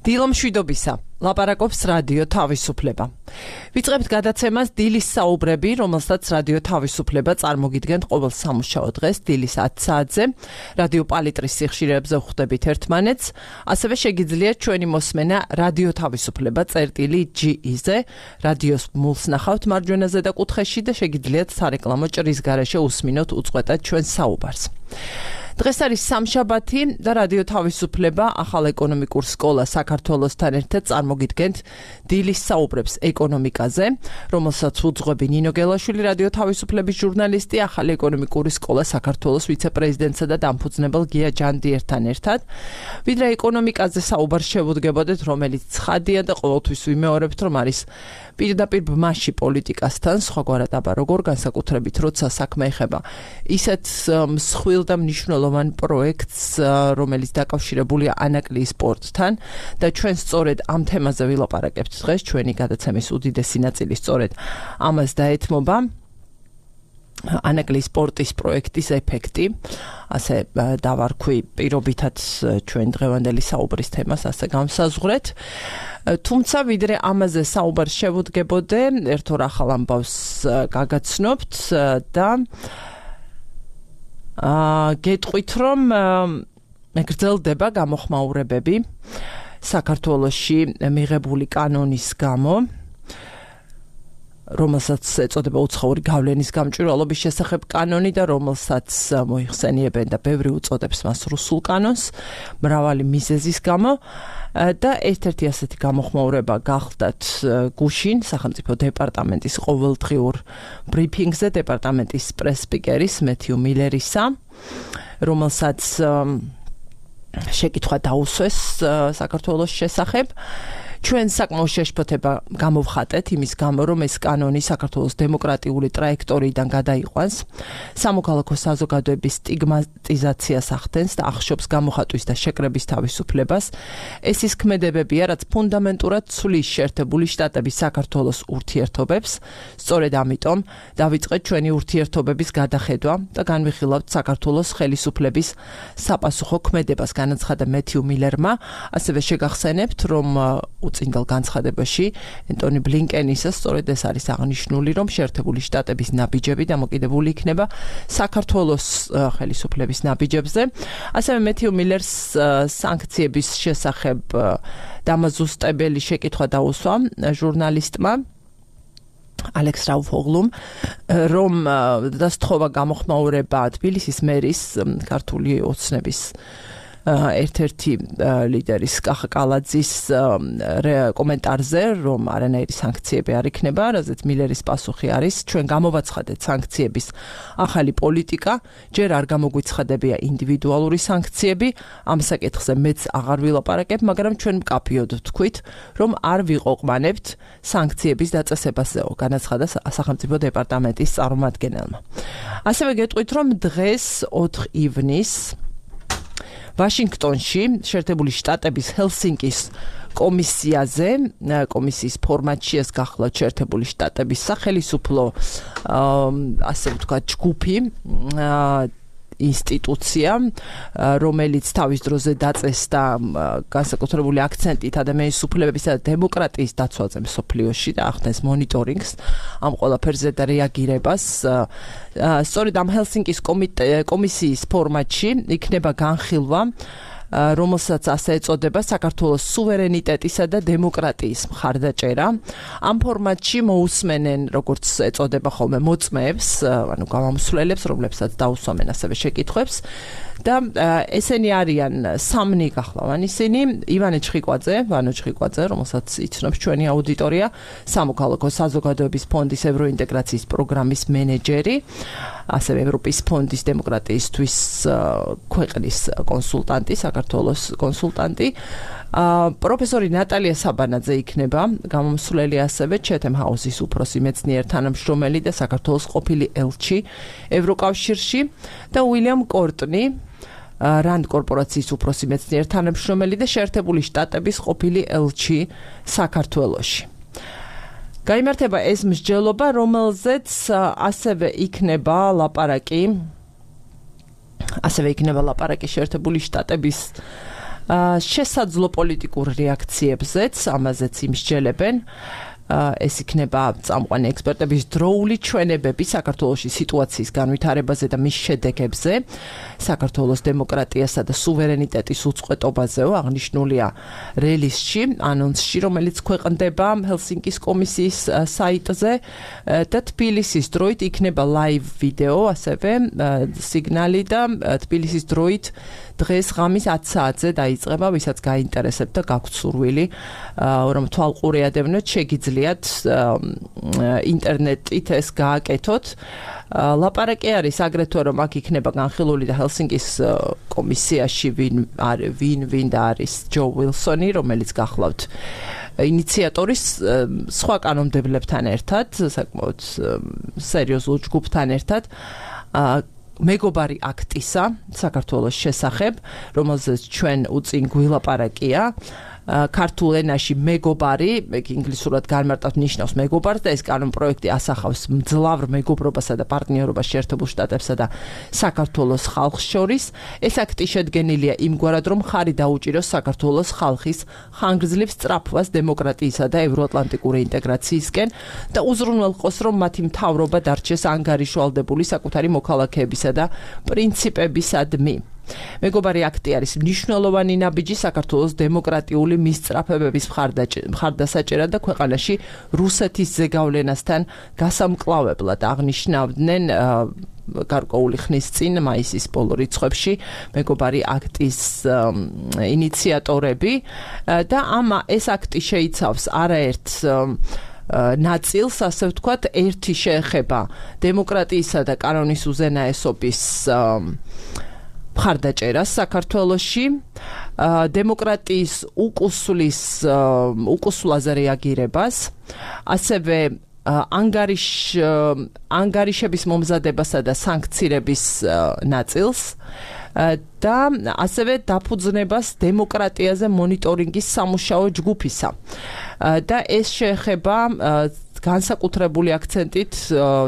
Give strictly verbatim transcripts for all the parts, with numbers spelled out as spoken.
დილო მშვიდობისა, ლაპარაკობს რადიო თავისუფლება. ვიწყებთ გადაცემას დილის საუბრები, რომელსაც რადიო თავისუფლება წარმოგიდგენთ ყოველ სამუშაო დღეს დილის ათი საათზე. რადიო პალიტრის სიხშირეებზე ვხვდებით ერთმანეთს, ასევე შეგიძლიათ ჩვენი მოსმენა რადიო თავისუფლება წერტილი ჯი-ზე, რადიოს მულს ნახავთ მარჯვენა ზედა კუთხეში და შეგიძლიათ სარეკლამო ჭრის გარეშე უსმინოთ უწყვეტად ჩვენს საუბარს. დღეს არის სამშაბათი და რადიო თავისუფლება ახალ ეკონომიკურ სკოლას საქართველოსთან ერთად წარმოგიდგენთ დილის საუბრებს ეკონომიკაზე, რომელსაც უძღვები ნინო გელაშვილი, რადიო თავისუფლების ჟურნალისტი, ახალი ეკონომიკური სკოლა საქართველოს ვიცე-პრეზიდენტსა და დამფუძნებელ გია ჯანდიერთან ერთად. ვიდრე ეკონომიკაზე საუბარს შევუდგებოდეთ, რომელიც ცხადია და ყოველთვის ვიმეორებთ, რომ არის პირდაპირ ბმაში პოლიტიკასთან, სხვაგვარად აბა როგორ განსაკუთრებით, როცა საქმე ეხება ისეთ მსხვილ და მნიშვნელოვან პროექტს, რომელიც დაკავშირებულია ანაკლიის სპორტთან და ჩვენ სწორედ ამ თემაზე ვილაპარაკებთ დღეს, ჩვენი გადაცემის უდიდესი ნაწილი სწორედ ამას დაეთმობა. ანაკლიის სპორტის პროექტის ეფექტი, ასე დავარქვი პირობითად ჩვენ დღევანდელი საუბრის თემას ასე გამსაზღვრეთ. თუმცა ვიდრე ამაზე საუბარს შევუდგებოდე, ერთ ორ ახალ ამბავს გაგაცნობთ და გეტყვით, რომ გრძელდება გამოხმაურებები საქართველოში მიღებული კანონის გამო, რომელსაც ეწოდება უცხოური გავლენის გამჭვირვალობის შესახებ კანონი და რომელსაც მოიხსენიებენ და ბევრი უწოდებს მას რუსულ კანონს, მრავალი მიზეზის გამო და ერთ-ერთი ასეთი გამოხმაურება გახლდათ გუშინ სახელმწიფო დეპარტამენტის ყოველდღიურ ბრიფინგზე დეპარტამენტის პრეს-სპიკერის მეთიუ მილერისა, რომელსაც შეკითხვა დაუსვეს საქართველოს შესახებ. ჩვენ საკმაო შეშფოთება გამოვხატეთ იმის გამო, რომ ეს კანონი საქართველოს დემოკრატიული ტრაექტორიიდან გადაიყვანს, სამოქალაქო საზოგადოების სტიგმატიზაციას ახდენს და ახშობს გამოხატვის და შეკრების თავისუფლებას. ეს ის ქმედებებია, რაც ფუნდამენტურად ცვლის შეერთებული შტატების საქართველოს ურთიერთობებს. სწორედ ამიტომ დავიწყეთ ჩვენი ურთიერთობების გადახედვა და განვიხილავთ საქართველოს ხელისუფლების საპასუხო ქმედებას, განაცხადა მეთიუ მილერმა. ასევე შეგახსენებთ, რომ უწინდელ განცხადებაში ენტონი ბლინკენისა სწორედ ეს არის აღნიშნული, რომ შეერთებული შტატების ნაბიჯები დამოკიდებული იქნება საქართველოს ხელისუფლების ნაბიჯებზე. ასევე მეთიუ მილერს სანქციების შესახებ დამაზუსტებელი შეკითხვა დაუსვა ჟურნალისტმა ალექს რაუფოღლუმ, რომ დასთხოვა გამოხმაურება თბილისის მერის ქართული ოცნების ერთ-ერთი ლიდერის კახა კალაძის კომენტარზე, რომ არანაირი სანქციები არ იქნება, რაზეც მილერის პასუხი არის, ჩვენ გამოვაცხადეთ სანქციების ახალი პოლიტიკა, ჯერ არ გამოგვიცხადებია ინდივიდუალური სანქციები, ამ საკითხზე მეც აღარ ვილაპარაკებ, მაგრამ ჩვენ მკაფიოდ ვთქვით, რომ არ ვიყოყმანებთ სანქციების დაწესებასეო, განაცხადა სახელმწიფო დეპარტამენტის წარმომადგენელმა. ასევე გეტყვით, რომ დღეს ოთხ ივნისს ვაშინგტონში შეერთებული შტატების ჰელსინკის კომისიაზე, კომისიის ფორმატში ეს გახლავთ შეერთებული შტატების სახელისუფლო, ასე ვთქვათ, ჯგუფი, ინსტიტუცია, რომელიც თავის დროზე დაწესდა განსაკუთრებული აქცენტით ადამიანის უფლებებისა და დემოკრატიის დაცვაზე მსოფლიოში და ახდენს მონიტორინგს ამ ყველაფერზე და რეაგირებას. სწორედ ამ ჰელსინკის კომისიის ფორმატში იქნება განხილვა, რომელსაც ასე ეწოდება საქართველოს სუვერენიტეტისა და დემოკრატიის მხარდაჭერა. ამ ფორმატში მოусმენენ, როგორც ეწოდება ხოლმე, მოწმეებს, ანუ გამომსვლელებს, რომლებსაც დაუსვამენ ასევე შეკითხვებს. და ესენი არიან სამნი გახლავან ისინი, ივანე ჩხიკვაძე, ვანო ჩხიკვაძე, რომელსაც იცნობს ჩვენი აუდიტორია, სამოქალაქო საზოგადოების ფონდის ევროინტეგრაციის პროგრამის მენეჯერი, ასევე ევროპის ფონდის დემოკრატიისთვის ქვეყნის კონსულტანტი, საქართველოს კონსულტანტი. პროფესორი ნატალია საბანაძე იქნება გამომსვლელი, ასევე ჩეთემ ჰაუსის უფროსი მეცნიერ თანამშრომელი და საქართველოს ყოფილი ელჩი ევროკავშირში და უილიამ კორტნი, რანდ კორპორაციის უფროსი მეცნიერ თანამშრომელი და შეერთებული შტატების ყოფილი ელჩი საქართველოში. გაიმართება ეს მსჯელობა, რომელზეც ასევე იქნება ლაპარაკი, ასევე იქნება ლაპარაკი შეერთებული შტატების შესაძლო პოლიტიკურ რეაქციებზეც ამაზეც იმსჯელებენ ეს იქნება წამყვანი ექსპერტების დროული ჩვენებები საქართველოში სიტუაციის განვითარებაზე და მის შედეგებზე, საქართველოს დემოკრატიასა და სუვერენიტეტის უწყვეტობაზეო აღნიშნულია რელიზში, ანონსში, რომელიც ქვეყნდება ჰელსინკის კომისიის საიტზე და თბილისის დროით იქნება ლაივ ვიდეო, ასევე სიგნალი და თბილისის დროით დღეს ღამის ათი საათზე დაიწყება, ვისაც გაინტერესებთ და გაქვთ სურვილი, რომ თვალყურიადევნოთ, შეგიძლიათ ინტერნეტით ეს გააკეთოთ. ლაპარაკი არის აგრეთვე, რომ აქ იქნება განხილული და ჰელსინკის კომისიაში ვინ ვინ ვინ და არის ჯო ვილსონი, რომელიც გახლავთ ინიციატორის სხვა კანონმდებლებთან ერთად, საკმაოდ სერიოზულ ჯგუფთან ერთად მეგობარი აქტისა საქართველოს შესახებ, რომელზეც ჩვენ უწინ გვილაპარაკია. ქართულ ენაში მეგობარი, ინგლისურად განმარტავთ ნიშნავს მეგობარს და ეს კანონპროექტი ასახავს მძლავრ მეგობრობასა და პარტნიორობას შეერთებულ შტატებსა და საქართველოს ხალხს შორის. ეს აქტი შედგენილია იმგვარად, რომ ხარი დაუჭიროს საქართველოს ხალხის ხანგრძლივ სწრაფვას დემოკრატიისა და ევროატლანტიკური ინტეგრაციისკენ და უზრუნველყოს, რომ მათი მთავრობა დარჩეს ანგარიშვალდებული საკუთარი მოქალაქეებისა და პრინციპებისადმი. მეგობარი აქტი არის მნიშვნელოვანი ნაბიჯი საქართველოს დემოკრატიული მისწრაფებების მხარდასაჭერად და ქვეყანაში რუსეთის ზეგავლენასთან გასამკლავებლად აღნიშნავდნენ გარკვეული ხნის წინ მაისის ბოლო რიცხვებში მეგობარი აქტის ინიციატორები და ამ ეს აქტი შეიცავს არაერთ ნაწილს, ასე ვთქვათ, ერთი შეეხება დემოკრატიისა და კანონის უზენაესობის მხარდაჭერას საქართველოში, დემოკრატიის უკუსლის უკუსლაზე რეაგირებას, ასევე ანგარიშ ანგარიშების მომზადებასა და სანქცირების ნაწილს და ასევე დაფუძნებას დემოკრატიაზე მონიტორინგის სამუშაო ჯგუფისა. და ეს შეეხება განსაკუთრებული აქცენტით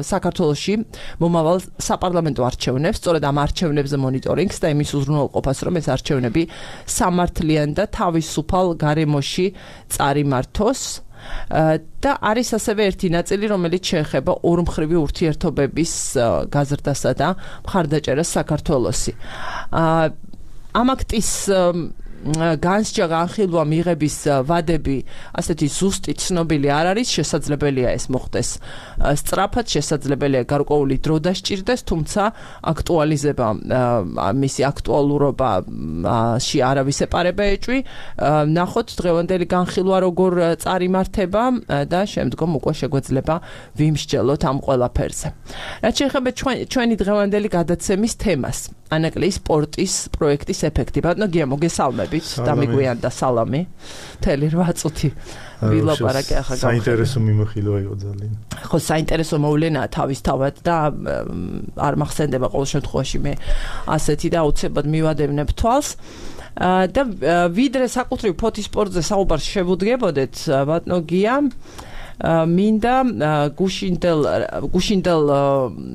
საქართველოში მომავალ საპარლამენტო არჩევნებს, სწორედ ამ არჩევნებზე მონიტორინგს და იმის უზრუნველყოფას, რომ ეს არჩევნები სამართლიან და თავისუფალ გარემოში წარიმართოს. და არის ასევე ერთი ნაწილი, რომელიც შეეხება ორმხრივი ურთიერთობების გაზრდასა და მხარდაჭერას საქართველოსი. ამ აქტის განსჯა განხილვა მიღების ვადები ასეთი ზუსტი ცნობილი არ არის, შესაძლებელია ეს მოხდეს სწრაფად, შესაძლებელია გარკვეული დრო დასჭირდეს, თუმცა აქტუალიზება მისი აქტუალურობაში არავის ეპარება ეჭვი. ნახოთ დღევანდელი განხილვა როგორ წარიმართება და შემდგომ უკვე შეგვეძლება ვიმსჯელოთ ამ ყველაფერზე. რაც შეეხება ჩვენი დღევანდელი გადაცემის თემას, ანაკლიის სპორტის პროექტის ეფექტი. ბატონო გია, მოგესალმებით. დამიგვიანდა სალამი. მთელი რვა წუთი ვილაპარაკე ახლა გავხსნა. საინტერესო მიმოხილვა იყო ძალიან. ხო, საინტერესო მოვლენაა თავისთავად და არ მახსენდება ყოველ შემთხვევაში მე ასეთი და აუცილებლად მივადევნებ თვალს. და ვიდრე საკუთრივ ფოთის სპორტზე საუბარს შევუდგებოდეთ, ბატონო გია, მინდა გუშინდელ გუშინდელ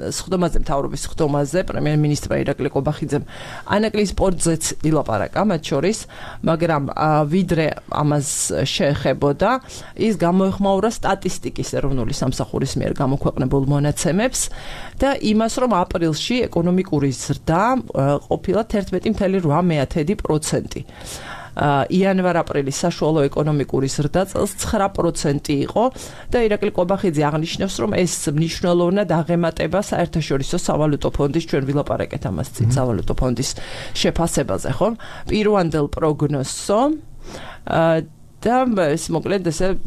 სხდომაზე მთავრობის სხდომაზე პრემიერ-მინისტრმა ირაკლი ყობახიძემ ანაკლიის სპორტზეც ილაპარაკა მათ შორის, მაგრამ ვიდრე ამას შეეხებოდა, ის გამოეხმაურა სტატისტიკის ეროვნული სამსახურის მიერ გამოქვეყნებულ მონაცემებს და იმას, რომ აპრილში ეკონომიკური ზრდა ყოფილა ერთმეტი ფاصლე რვა პროცენტი. იანვარ-აპრილის საშუალო ეკონომიკური ზრდა წელს ცხრა პროცენტი იყო და ირაკლი ყობახიძე აღნიშნავს, რომ ეს მნიშვნელოვნად აღემატება საერთაშორისო სავალუტო ფონდის, ჩვენ ვილაპარაკეთ ამას წინ სავალუტო ფონდის შეფასებაზე, ხო? პირვანდელ პროგნოზსო და ეს მოკლედ ესე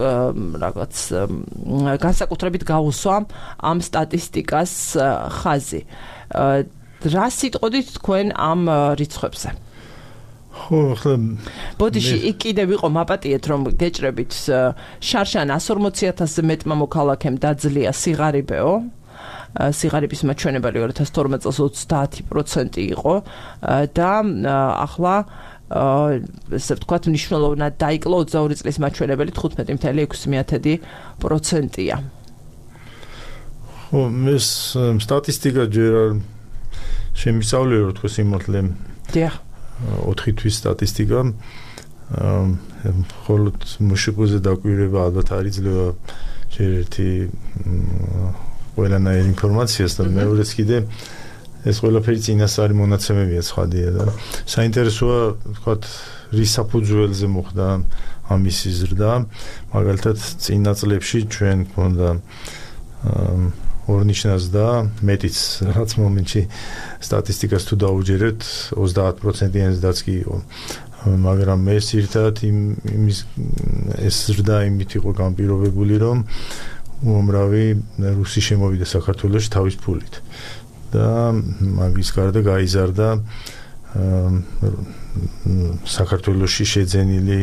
რაღაც განსაკუთრებით გაუსვა ამ სტატისტიკას ხაზი. რა სიტყოდით თქვენ ამ რიცხვებზე? ხო, ახლა ბოდიში იქ კიდევ იყო მაპატიეთ, რომ გეჭრებით შარშან εκατს ორმოცი ათასზე მეტმა მოქალაქემ დაძლია სიღარიბეო. სიღარიბის მაჩვენებელი ორი ათას თორმეტ წელს ოცდაათი პროცენტი იყო და ახლა ესე ვთქვათ მნიშვნელოვნად დაიკლო ოცდაორი წლის მაჩვენებელი თხუთმეტი ფاصლე ექვსი პროცენტია. ხო, ეს სტატისტიკა ჯერ არ შემისწავლე, რომ თქო სიმართლე. დიახ. ოთხი თვის სტატისტიკა მხოლოდ მშპ-ზე დაკვირვება ალბათ არ იძლევა ჯერ ერთი ყველანაირ ინფორმაციას და მეორეც კიდე ეს ყველაფერი წინასწარი მონაცემებია ცხადია და საინტერესოა ვთქვათ რის საფუძველზე მოხდა ამისი ზრდა მაგალითად წინა წლებში ჩვენ გვქონდა ორნიშნას და მეტიც რაც მომენტში სტატისტიკას თუ დაუჯერებთ ოცდაათ პროცენტიანი ზრდაც კი იყო მაგრამ ეს ერთად იმის ეს ზრდა იმით იყო განპირობებული რომ უამრავი რუსი შემოვიდა საქართველოში თავის ფულით და მაგის გარდა გაიზარდა საქართველოში შეძენილი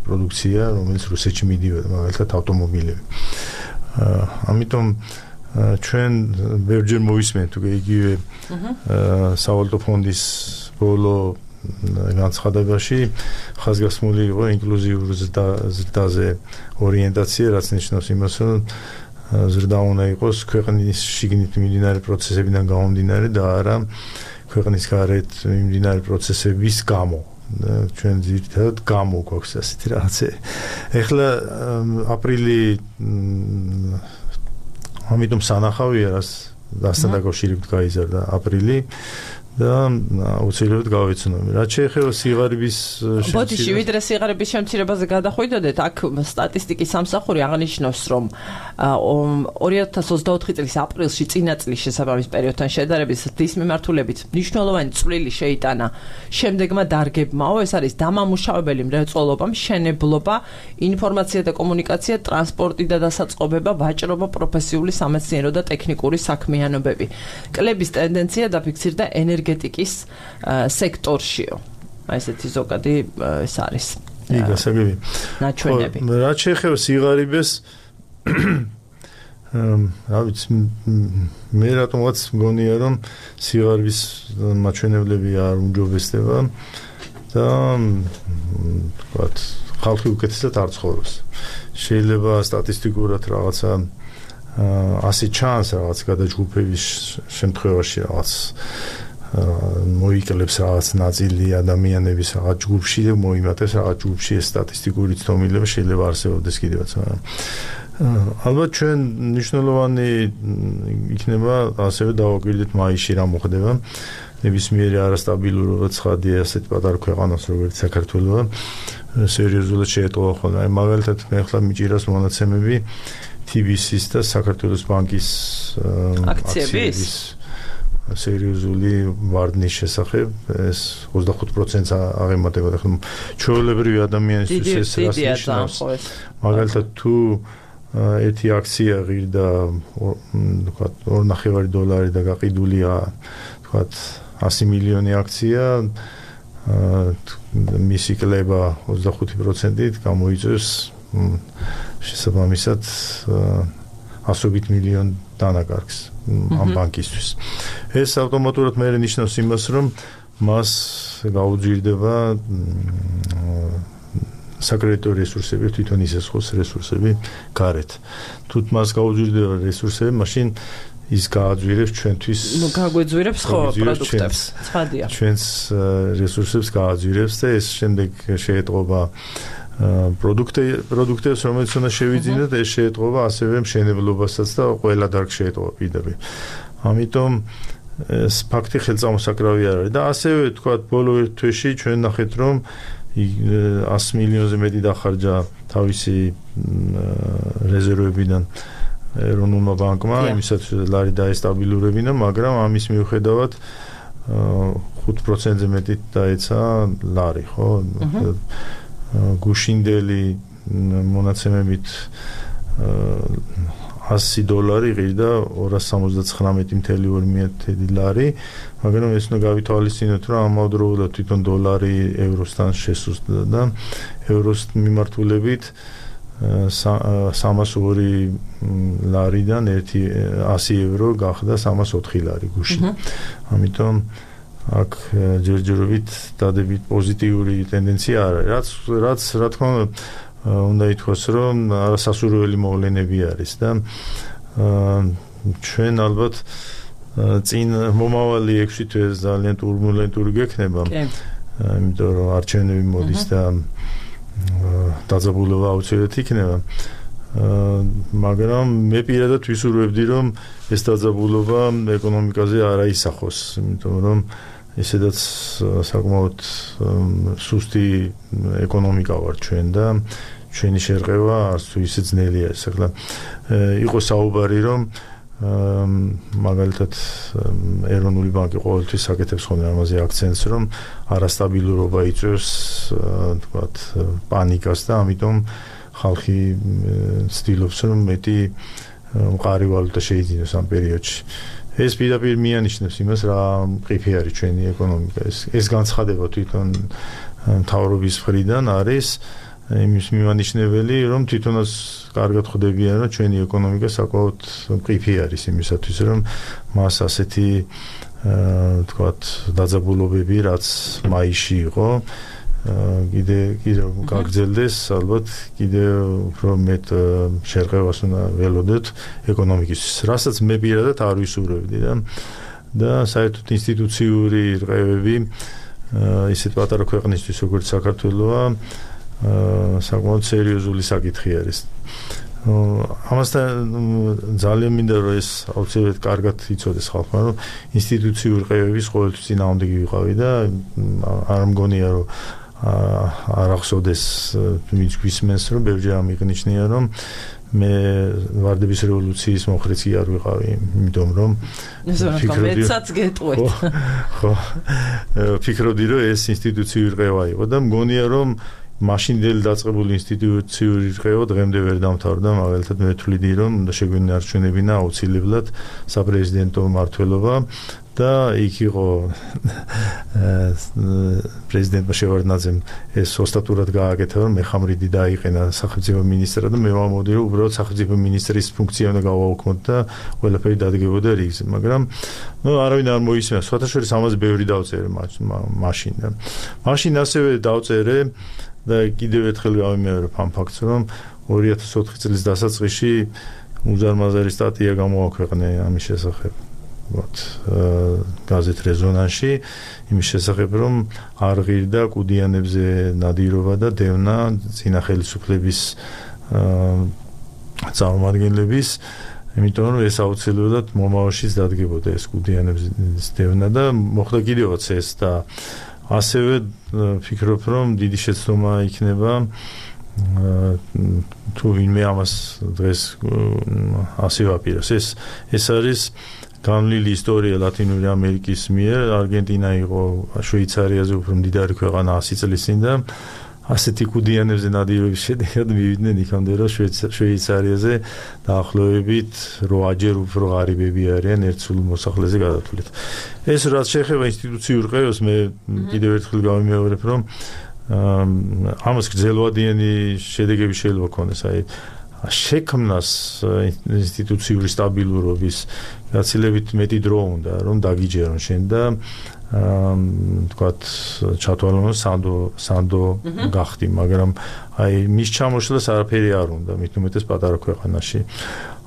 პროდუქცია რომელიც რუსეთში მიდიოდა მაგალითად ავტომობილები ამიტომ ჩვენ ბევრჯერ მოვისმენთ უკვე იგივე სავალუტო ფონდის ბოლო განცხადებაში ხაზგასმული იყო ინკლუზიურ ზრდაზე ორიენტაცია რაც ნიშნავს იმას რომ ზრდა უნდა იყოს ქვეყნის შიგნით მიმდინარე პროცესებიდან გამომდინარე და არა ქვეყნის გარეთ მიმდინარე პროცესების გამო ჩვენ ძირითადად გამო გვაქვს ასეთი რაღაცე ეხლა აპრილი ამიტომ სანახავია რას დასთან დაკავშირებით გაიზარდა აპრილი და აუცილებლად გავეცნობი. რაც შეეხება სიღარიბის შემცირებას. ბოდიში ვიდრე სიღარიბის შემცირებაზე გადახვიდოდეთ, აქ სტატისტიკის სამსახური აღნიშნავს, რომ ორი ათას ოცდაოთხი წლის აპრილში წინა წლის შესაბამის პერიოდთან შედარებით დის მიმართულებით მნიშვნელოვანი წვლილი შეიტანა შემდეგმა დარგებმაო, ეს არის დამამუშავებელი მრეწველობა, მშენებლობა, ინფორმაცია და კომუნიკაცია, ტრანსპორტი და დასაწყობება, ვაჭრობა, პროფესიული სამეცნიერო და ტექნიკური საქმიანობები. კლების ტენდენცია დაფიქსირდა ენერგეტიკის სექტორშიო. აი ესეთი ზოგადი ეს არის. კი, გასაგები. ნაჩვენები. რაც შეეხება სიღარიბეს რა ვიცი მე რატომაც მგონია რომ სიღარიბის მაჩვენებლები არ უმჯობესდება და ვთქვათ ხალხი უკეთესად არ ცხოვრობს. შეიძლება სტატისტიკურად რაღაცა ასე ჩანს რაღაც გადაჯგუფების შემთხვევაში რაღაც მოიკლებს რაღაც ნაწილი ადამიანების რაღაც ჯგუფში და მოიმატებს რაღაც ჯგუფში ეს სტატისტიკური ცნობილება შეიძლება არსებობდეს კიდევაც მაგრამ ალბათ ჩვენ მნიშვნელოვანი იქნება ასევე დავაკვირდეთ მაისში რა მოხდება ნებისმიერი არასტაბილურობა ცხადია ასეთ პატარა ქვეყანას როგორც საქართველო სერიოზულად შეეტყობა ხოლმე აი მაგალითად მე ახლა მიჭირავს მონაცემები თი ბი სის და საქართველოს ბანკის აქციების სერიოზული ვარდნის შესახებ ეს ოცდახუთ პროცენტს აღემატება ხომ ჩვეულებრივი ადამიანისთვის ეს რას ნიშნავს მაგალითად თუ ერთი აქცია ღირდა თქვა ორი ნახევარი დოლარი და გაყიდულია თქვა ასი მილიონი აქცია მისი კლება ოცდახუთი პროცენტით გამოიწვევს შესაბამისად ასობით მილიონ დანაკარგს ამ ბანკისთვის. ეს ავტომატურად მე ნიშნავს იმას, რომ მას გაუძირდება საკრედიტო რესურსები, თვითონ ისეს ხოს რესურსები გარეთ. თუ მას გაუძირდება რესურსები, მაშინ ის გააძვირებს ჩვენთვის ნუ გაგვეძვირებს ხო პროდუქტებს. ცხადია. ჩვენს რესურსებს გააძვირებს და ეს შემდეგ შეეტყობა პროდუქტი პროდუქტებს რომელიც უნდა შევიძინოთ ეს შეეტყობა ასევე მშენებლობასაც და ყველა დარგს შეეტყობა პირდაპირ. ამიტომ ეს ფაქტი ხელწამოსაკრავი არ არის და ასევე თქვა ბოლო ერთ თვეში ჩვენ ნახეთ რომ ასი მილიონზე მეტი დახარჯა თავისი რეზერვებიდან ეროვნულმა ბანკმა იმისათვის ლარი დაესტაბილურებინა მაგრამ ამის მიუხედავად ხუთ პროცენტზე მეტი დაეცა ლარი ხო გუშინდელი მონაცემებით ასი დოლარი ღირდა ორას სამოცდაცხრამეტი მეთელი ორი მეთელი ლარი მაგრამ ეს უნდა გავითვალისწინოთ რომ ამავდროულად თვითონ დოლარი ევროსთან შესუსტდა და ევროს მიმართულებით სამას ორი ლარიდან ერთი ასი ევრო გახდა სამას ოთხი ლარი გუშინ ამიტომ აქ ჯერჯერობით დადებით პოზიტიური ტენდენცია არის რაც რაც რა თქმა უნდა ითქვას რომ არასასურველი მოვლენები არის და ჩვენ ალბათ წინ მომავალი ექვსი თვე ძალიან ტურბულენტური გექნება იმიტომ რომ არჩევნები მოდის და დაძაბულობა აუცილებლად იქნება. მაგრამ მე პირადად ვისურვებდი რომ ეს დაძაბულობა ეკონომიკაზე არ აისახოს, იმიტომ რომ ესედაც საკმაოდ სუსტი ეკონომიკა ვარ ჩვენ და ჩვენი შერყევა არც თუ ისე ძნელია. ახლა იყო საუბარი რომ მაგალითად ეროვნული ბანკი ყოველთვის აკეთებს ხოლმე ამაზე აქცენტს რომ არასტაბილურობა იწვევს თქვათ პანიკას და ამიტომ ხალხი ცდილობს რომ მეტი მყარი ვალუტა შეიძინოს ამ პერიოდში. ეს პირდაპირ მიანიშნებს იმას რა მყიფე არის ჩვენი ეკონომიკა. ეს ეს განცხადება თვითონ მთავრობის მხრიდან არის იმის მიმანიშნებელი რომ თვითონაც კარგად ხვდებიან რომ ჩვენი ეკონომიკა საკმაოდ მყიფე არის იმისათვის რომ მას ასეთი თქვათ დაძაბულობები რაც მაისში იყო კიდე კიდე გაგრძელდეს ალბათ კიდე უფრო მეტ შერყევას უნდა ველოდოთ ეკონომიკისთვის, რასაც მე პირადად არ ვისურვებდი და და საერთოდ ინსტიტუციური რყევები ისეთ პატარა ქვეყნისთვის როგორც საქართველოა საკმაოდ სერიოზული საკითხი არის. ამასთან ძალიან მინდა რომ ეს აუცილებლად კარგად იცოდეს ხალხმა რომ ინსტიტუციური რყევების ყოველთვის წინააღმდეგი ვიყავი და არ მგონია რომ არ ახსოვდეს ვინც გვისმენს რომ ბევრჯერ ამიღნიშნია რომ მე ვარდების რევოლუციის მომხრეცი არ ვიყავი, იმიტომ რომ ფიქრობდი მეცაც გეტყვით. ხო, ფიქრობდი რომ ეს ინსტიტუციური რყევა იყო და მგონია რომ მაშინდელი დაწყებული ინსტიტუციური რყევა დღემდე ვერ დამთავრდა, მაგალითად მე ვთვლიდი რომ უნდა შეგვინარჩუნებინა აუცილებლად საპრეზიდენტო მმართველობა და იქ იყო პრეზიდენტმა შევარდნაძემ ეს ოსტატურად გააკეთა რომ მეხამრიდი დაიყენა სახელმწიფო მინისტრად და მე ვამბობდი რომ უბრალოდ სახელმწიფო მინისტრის ფუნქცია უნდა გავაუქმოთ და ყველაფერი დადგებოდა რიგზე, მაგრამ ნუ არავინ არ მოისმენს. სხვათა შორის ამაზე ბევრი დავწერე მაშინ და მაშინ ასევე დავწერე და კიდევ ერთხელ გავიმეორებ ამ ფაქტს რომ ორი ათას ოთხი წლის დასაწყისში უზარმაზარი სტატია გამოაქვეყნე ამის შესახებ. Вот გაზეთ რეზონანსში იმის შესახებ რომ არ ღირდა კუდიანებზე ნადირობა და დევნა წინა ხელისუფლების წარმომადგენლების, იმიტომ რომ ეს აუცილებლად მომავალშიც დადგებოდა ეს კუდიანების დევნა და მოხდა კიდევაც ეს და ასევე ფიქრობ რომ დიდი შეცდომა იქნება თუ ვინმე ამას დღეს ასე ვაპიროს. ეს ეს არის განვლილი ისტორია ლათინური ამერიკის მიერ. არგენტინა იყო შვეიცარიაზე უფრო მდიდარი ქვეყანა ასი წლის წინ და ასეთი კუდიანებზე ნადირობის შედეგად მივიდნენ იქამდე რომ შვეიცარიაზე დაახლოებით რვაჯერ უფრო ღარიბები არიან ერთ სულ მოსახლეზე გადათვლით. ეს რაც შეეხება ინსტიტუციურ რყევას მე კიდევ ერთხელ გავიმეორებ რომ ამას გრძელვადიანი შედეგები შეიძლება ქონდეს, აი შექმნას ინსტიტუციური სტაბილურობის გაცილებით მეტი დრო უნდა რომ დაგიჯერონ შენ და თქვათ ჩათვალონ სანდო სანდო გახდი, მაგრამ აი მის ჩამოშლას არაფერი არ უნდა, მით უმეტეს პატარა ქვეყანაში.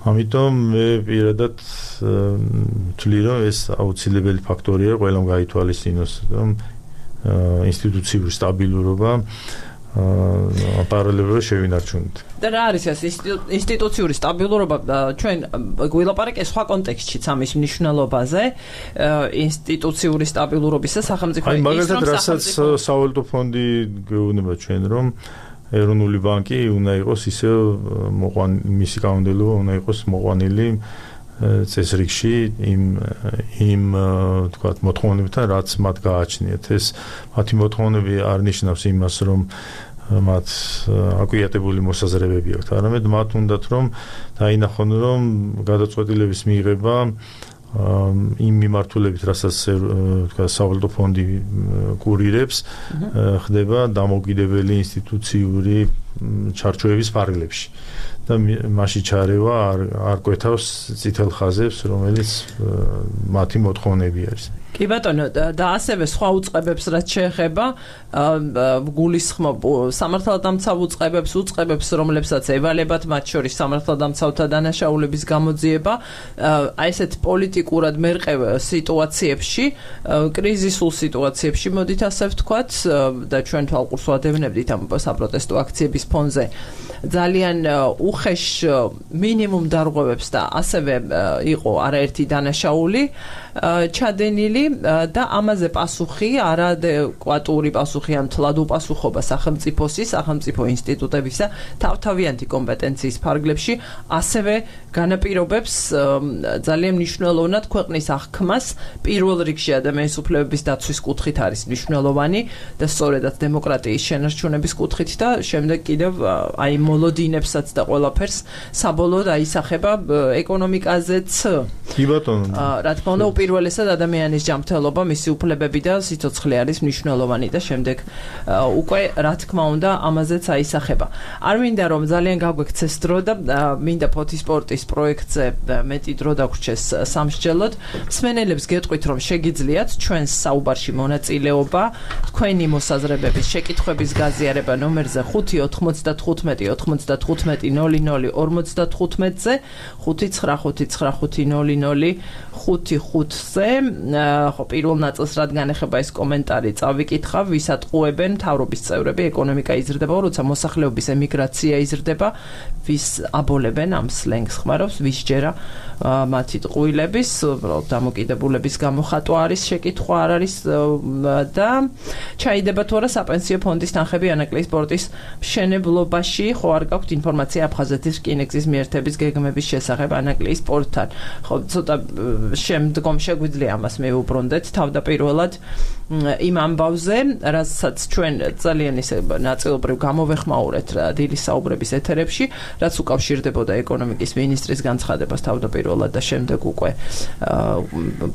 ამიტომ მე პირადად ვთვლი რომ ეს აუცილებელი ფაქტორია ყველამ გაითვალისწინოს რომ ინსტიტუციური სტაბილურობა პარალელურად შევინარჩუნოთ. და რა არის ეს ინსტიტუციური სტაბილურობა? ჩვენ გვილაპარაკეთ სხვა კონტექსტშიც ამის მნიშვნელობაზე, ინსტიტუციური სტაბილურობის და სახელმწიფო აი მაგალითად რასაც სავალუტო ფონდი გეუბნება ჩვენ რომ ეროვნული ბანკი უნდა იყოს ისე მოყვან მისი კანონმდებლობა უნდა იყოს მოყვანილი წესრიგში იმ იმ თქვათ მოთხოვნებთან რაც მათ გააჩნიათ. ეს მათი მოთხოვნები არ ნიშნავს იმას რომ მათ აკვიატებული მოსაზრებები აქვთ, არამედ მათ უნდათ რომ დაინახონ რომ გადაწყვეტილების მიღება იმ მიმართულებით რასაც თქვათ სავალუტო ფონდი კურირებს ხდება დამოუკიდებელი ინსტიტუციური ჩარჩოების ფარგლებში და მასში ჩარევა არ არ კვეთავს წითელ ხაზებს რომელიც მათი მოთხოვნები არის. კი ბატონო და ასევე სხვა უწყებებს რაც შეეხება გულისხმობ სამართალდამცავ უწყებებს უწყებებს რომლებსაც ევალებათ მათ შორის სამართალდამცავთა დანაშაულების გამოძიება აი ესეთ პოლიტიკურად მერყევ სიტუაციებში კრიზისულ სიტუაციებში მოდით ასე ვთქვათ და ჩვენ თვალყურს ვადევნებდით ამ საპროტესტო აქციების ფონზე ძალიან უხეშ მინიმუმ დარღვევებს და ასევე იყო არაერთი დანაშაული ჩადენილი და ამაზე პასუხი არადეკვატური პასუხი ან თლად უპასუხობა სახელმწიფოსი, სახელმწიფო ინსტიტუტებისა თავთავიანთი კომპეტენციის ფარგლებში ასევე განაპირობებს ძალიან მნიშვნელოვნად ქვეყნის აღქმას პირველ რიგში ადამიანის უფლებების დაცვის კუთხით არის მნიშვნელოვანი და სწორედაც დემოკრატიის შენარჩუნების კუთხით და შემდეგ კიდევ აი მოლოდინებსაც და ყველაფერს საბოლოოდ აისახება ეკონომიკაზეც. კი ბატონო. რა თქმა უნდა უპირველესად ადამიანის ჯანმრთელობა, მისი უფლებები და სიცოცხლე არის მნიშვნელოვანი და შემდეგ უკვე რა თქმა უნდა ამაზეც აისახება. არ მინდა რომ ძალიან გაგვექცეს დრო და მინდა ფოთის სპორტის პროექტზე მეტი დრო დაგვრჩეს სამსჯელოდ. მსმენელებს გეტყვით რომ შეგიძლიათ ჩვენს საუბარში მონაწილეობა, თქვენი მოსაზრებების, შეკითხვების გაზიარება ნომერზე ხუთი ოთხმოცდათხუთმეტი ოთხმოცდათხუთმეტი ნოლი ნოლი ორმოცდათხუთმეტზე ხუთი ცხრა ხუთი ცხრა ხუთი ნოლი ნოლი ხუთი ხუთზე ხო პირველ ნაწილს რადგან ეხება ეს კომენტარი წავიკითხავ ვის ატყუებენ მთავრობის წევრები ეკონომიკა იზრდება როცა მოსახლეობის ემიგრაცია იზრდება ვის აბოლებენ ამ სლენგს ხმარობს ვის ჯერა მათი ტყუილების დამოკიდებულების გამოხატვა არის შეკითხვა არ არის და ჩაიდება თუ არა საპენსიო ფონდის თანხები ანაკლიის სპორტის მშენებლობაში ხო არ გაქვთ ინფორმაცია აფხაზეთის რკინიგზის მიერთების გეგმების შესახებ ანაკლიის სპორტთან ხო ცოტა შემდგომ შეგვიძლია ამას მივუბრუნდეთ თავდაპირველად იმ ამბავზე რასაც ჩვენ ძალიან ისე ნაწილობრივ გამოვეხმაურეთ დილის საუბრების ეთერებში რაც უკავშირდებოდა ეკონომიკის მინისტრის განცხადებას თავდაპირველად და შემდეგ უკვე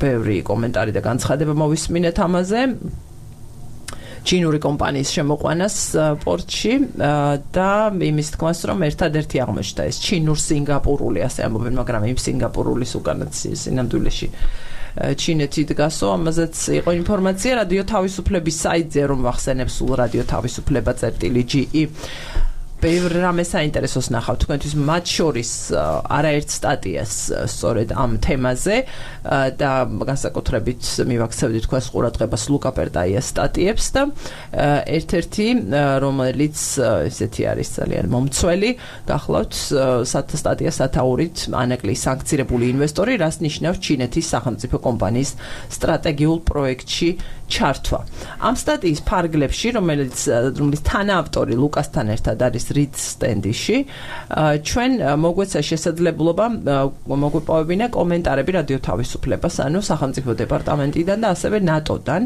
ბევრი კომენტარი და განცხადება მოვისმინეთ ამაზე ჩინური კომპანიის შემოყვანას პორტში და იმის თქმას რომ ერთადერთი აღმოჩნდა ეს ჩინურ-სინგაპურული ასე ამბობენ მაგრამ იმ სინგაპურულის უკანაც სინამდვილეში ჩინეთი დგასო ამაზეც იყო ინფორმაცია რადიო თავისუფლების საიტზე რომ ვახსენებ სულ რადიო თავისუფლება წერტილი ჯი ი ბევრ რამე საინტერესოს ნახავთ თქვენთვის მათ შორის არაერთ სტატიას სწორედ ამ თემაზე და განსაკუთრებით მივაქცევდი თქვენს ყურადღებას ლუკა პერტაიას სტატიებს და ერთ-ერთი რომელიც ესეთი არის ძალიან მომცველი გახლავთ სტატია სათაურით ანაკლიის სანქცირებული ინვესტორი რას ნიშნავს ჩინეთის სახელმწიფო კომპანიის სტრატეგიულ პროექტში ჩართვა. ამ სტატიის ფარგლებში, რომელიც რომლის თანაავტორი ლუკასთან ერთად არის რიდ სტენდიში, ჩვენ მოგვეცა შესაძლებლობა მოგვეპოვებინა კომენტარები რადიო თავისუფლებას, ანუ სახელმწიფო დეპარტამენტიდან და ასევე ნატოდან.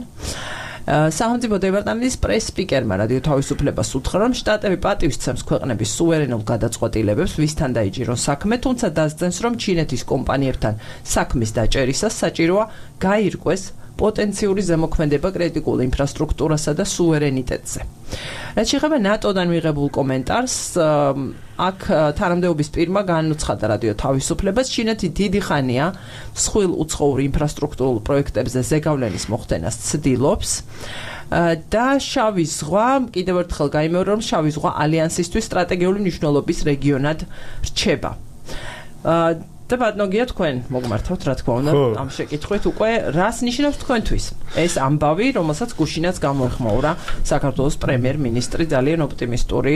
სახელმწიფო დეპარტამენტის პრეს-სპიკერმა რადიო თავისუფლებას უთხრა, რომ შტატები პატივისცემს ქვეყნების სუვერენულ გადაწყვეტილებებს, ვისთან დაიჭიროს საქმე, თუმცა დასძენს, რომ ჩინეთის კომპანიებთან საქმის დაჭერისას საჭიროა გაირკვეს პოტენციური ზემოქმედება კრიტიკულ ინფრასტრუქტურასა და სუვერენიტეტზე. რაც შეეხება ნატოდან მიღებულ კომენტარს, აქ თანამდებობის პირმა განუცხადა რადიო თავისუფლებას, ჩინეთი დიდი ხანია მსხვილ უცხოურ ინფრასტრუქტურულ პროექტებზე ზეგავლენის მოხდენას ცდილობს და შავი ზღვა, კიდევ ერთხელ გაიმეორე, რომ შავი ზღვა ალიანსისთვის სტრატეგიული მნიშვნელობის რეგიონად რჩება. და ბატონო თქვენ მოგმართავთ რა თქმა უნდა ამ შეკითხვით უკვე რას ნიშნავს თქვენთვის ეს ამბავი რომელსაც გუშინაც გამოეხმაურა საქართველოს პრემიერ-მინისტრი ძალიან ოპტიმისტური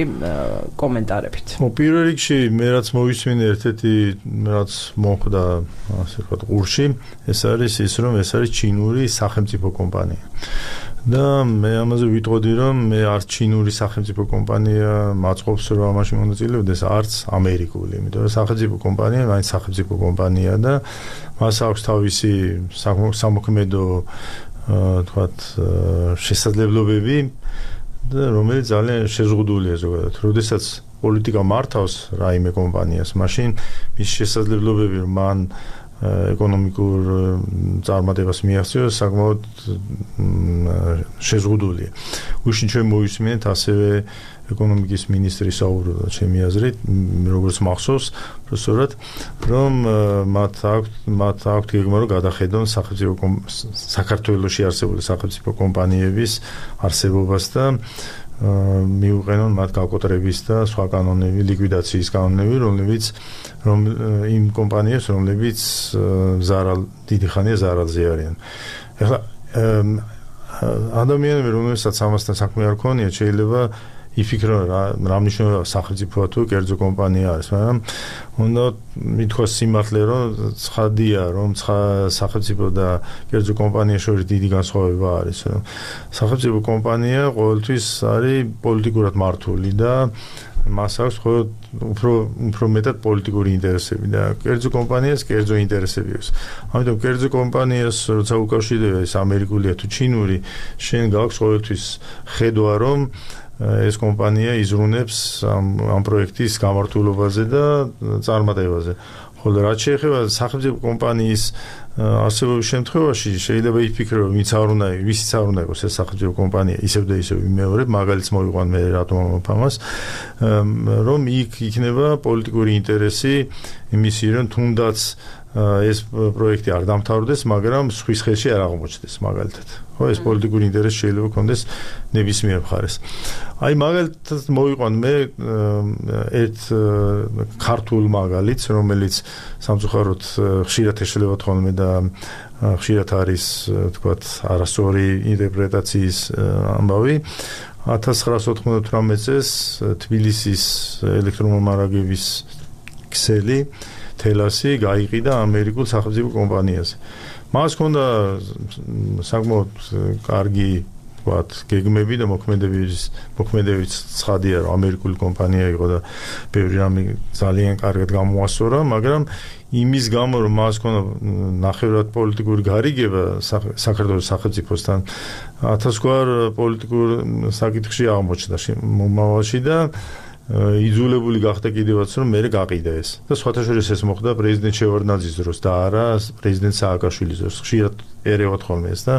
კომენტარებით. პირველ რიგში მე რაც მოვისმინე ერთ-ერთი რაც მოხდა ასე ვთქვათ ყურში ეს არის ის რომ ეს არის ჩინური სახელმწიფო კომპანია. და მე ამაზე ვიტყოდი რომ მე არც ჩინური სახელმწიფო კომპანია მაწყობს რომ ამაში მონაწილეობდეს არც ამერიკული, იმიტომ რომ სახელმწიფო კომპანია მაინც სახელმწიფო კომპანია და მას აქვს თავისი სამოქმედო თქვათ შესაძლებლობები და რომელიც ძალიან შეზღუდულია ზოგადად. როდესაც პოლიტიკა მართავს რაიმე კომპანიას, მაშინ მის შესაძლებლობები რომ მან ეკონომიკურ წარმატებას მიაღწიოს საკმაოდ შეზღუდულია. უშინ ჩვენ მოვისმინეთ ასევე ეკონომიკის მინისტრის საუბრობა ჩემი აზრით, როგორც მახსოვს, პროფესორად, რომ მათ აქვთ მათ აქვთ გეგმა რომ გადახედონ სახელმწიფო საქართველოში არსებული სახელმწიფო კომპანიების არსებობას და მიუყენონ მათ გაკოტრების და სხვა კანონები, ლიკვიდაციის კანონები, რომლებიც რომ იმ კომპანიებს, რომლებიც ზარალ დიდი ხანია ზარალზე არიან. ეხლა ადამიანები, რომელსაც ამასთან საქმე არ ქონიათ, შეიძლება იფიქრონ რა რა მნიშვნელობა სახელმწიფოა თუ კერძო კომპანია არის, მაგრამ უნდა მithქვას სიმართლე, რომ ცხადია, რომ სახელმწიფო და კერძო კომპანია შორის დიდი განსხვავება არის, რომ სახელმწიფო კომპანია ყოველთვის არის პოლიტიკურად მართული და მას აქვს მხოლოდ უფრო უფრო მეტად პოლიტიკური ინტერესები და კერძო კომპანიას კერძო ინტერესები აქვს. ამიტომ კერძო კომპანიას როცა უკავშირდება ეს ამერიკულია თუ ჩინური, შენ გაქვს ყოველთვის ხედვა, რომ ეს კომპანია იზრუნებს ამ ამ პროექტის გამართულობაზე და წარმატებაზე. ხოლო რაც შეეხება სახელმწიფო კომპანიის არსებობის შემთხვევაში შეიძლება იფიქრო, რომ ვინც არ უნდა, ვისიც არ უნდა იყოს ეს სახელმწიფო კომპანია, ისევ და ისევ იმეორებ, მაგალითს მოვიყვან მე რატომ ამაფამას, რომ იქ იქნება პოლიტიკური ინტერესი იმისი, რომ თუნდაც ეს პროექტი არ დამთავრდეს, მაგრამ სხვის ხელში არ აღმოჩნდეს მაგალითად. ხო, ეს პოლიტიკური ინტერესი შეიძლება კონდეს ნებისმიერ მხარეს. აი მაგალითად მოვიყვან მე ერთ ქართულ მაგალითს, რომელიც სამწუხაროდ ხშირად ეშლება თქონმე და ხშირად არის, თქვათ, არასწორი ინტერპრეტაციის ამბავი. ათას ცხრაასი ოთხმოცდათვრამეტ წელს თბილისის ელექტრომომარაგების ქსელი თელასი გაიყიდა ამერიკულ სახელმწიფო კომპანიაზე. მას ჰქონდა საკმაოდ კარგი, ვთქვათ, გეგმები და მოქმედებების მოქმედებიც ცხადია, რომ ამერიკული კომპანია იყო და ბევრი რამე ძალიან კარგად გამოასწორა, მაგრამ იმის გამო, რომ მას ჰქონდა ნახევრად პოლიტიკური გარიგება საქართველოს სახელმწიფოსთან, ათასგვარ პოლიტიკურ საკითხში აღმოჩნდა მომავალში და იძულებული გახდა კიდევაც რომ მე გაყიდა ეს და სხვათა შორის ეს მოხდა პრეზიდენტ შევარდნაძის დროს და არა პრეზიდენტ სააკაშვილის დროს. ხშირად ერევა თქონმე ეს და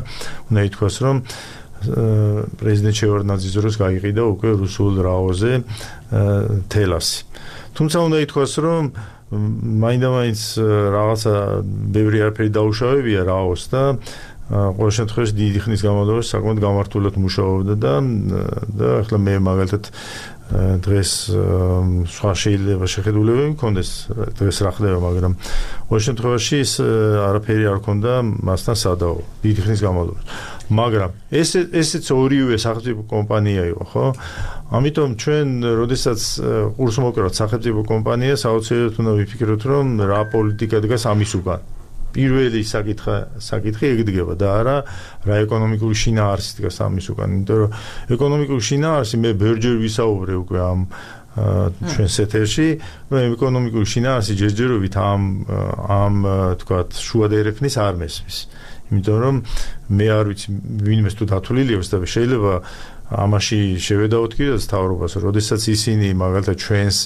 უნდა ითქვას რომ პრეზიდენტ შევარდნაძის დროს გაიყიდა უკვე რუსულ რაოზე თელასი. თუმცა უნდა ითქვას რომ მაინდა-მაინც რაღაცა ბევრი არაფერი დაუშავებია რაოს და ყოველ შემთხვევაში დიდი ხნის განმავლობაში საკმაოდ გამართულად მუშაობდა და და ახლა მე მაგალითად დღეს სხვა შეიძლება შეხედულებები მქონდეს დღეს რა ხდება, მაგრამ ყოველ შემთხვევაში ის არაფერი არ ქონდა მასთან სადაო დიდი ხნის განმავლობაში. მაგრამ ეს ესეც ორივე სახელმწიფო კომპანია იყო, ხო? ამიტომ ჩვენ როდესაც ყურს მოკრავთ სახელმწიფო კომპანიას, აუცილებლად უნდა ვიფიქროთ, რომ რა პოლიტიკა დგას ამის უკან. პირველი საკითხი საკითხი ეგდგება და არა რა ეკონომიკური შინაარსი დგას ამის უკან. იმიტომ რომ ეკონომიკური შინაარსი მე ბევრჯერ ვისაუბრე უკვე ამ ჩვენს ეთერში, რომ ეკონომიკური შინაარსი ჯერჯერობით ამ ამ თქვათ შუადერეფნის არ მესმის. იმიტომ რომ მე არ ვიცი ვინმე თუ დათვლილი აქვს და შეიძლება ამაში შევედაოთ კიდევ თავრობას, როდესაც ისინი მაგალითად ჩვენს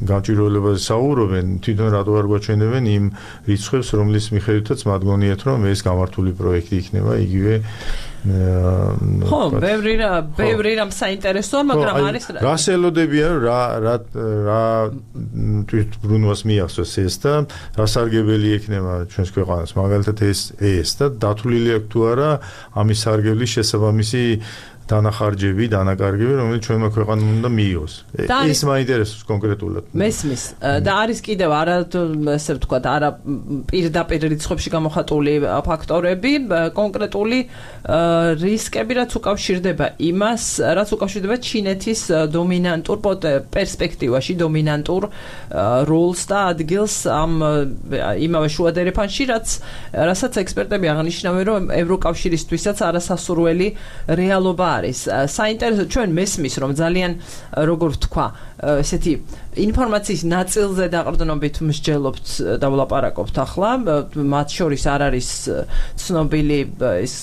გამჭვირვალებაზე საუბრობენ, თვითონ რატო არ გვაჩვენებენ იმ რიცხვებს, რომლის მიხედვითაც მათ გონიათ, რომ ეს გამართული პროექტი იქნება იგივე ხო, ბევრი რა, ბევრი რამ საინტერესოა, მაგრამ არის რას ელოდებიან, რა რა რა თვითბრუნვას მიახსოვს ეს და რა სარგებელი ექნება ჩვენს ქვეყანას, მაგალითად ეს ეს და დათვლილი აქვს თუ არა ამის სარგებლის შესაბამისი დანახარჯები, დანაკარგები, რომელიც ჩვენმა ქვეყანამ უნდა მიიღოს. ეს მაინტერესებს კონკრეტულად. მესმის და არის კიდევ არა ესე ვთქვათ, არა პირდაპირ რიცხვებში გამოხატული ფაქტორები, კონკრეტული რისკები, რაც უკავშირდება იმას, რაც უკავშირდება ჩინეთის დომინანტურ პერსპექტივაში, დომინანტურ როლს და ადგილს ამ იმავე შუადერეფანში, რაც რასაც ექსპერტები აღნიშნავენ, რომ ევროკავშირისთვისაც არასასურველი რეალობა არის. საინტერესო ჩვენ მესმის რომ ძალიან როგორ ვთქვა ესეთი ინფორმაციის ნაწილზე დაყრდნობით მსჯელობთ და ვლაპარაკობთ ახლა, მათ შორის არ არის ცნობილი ის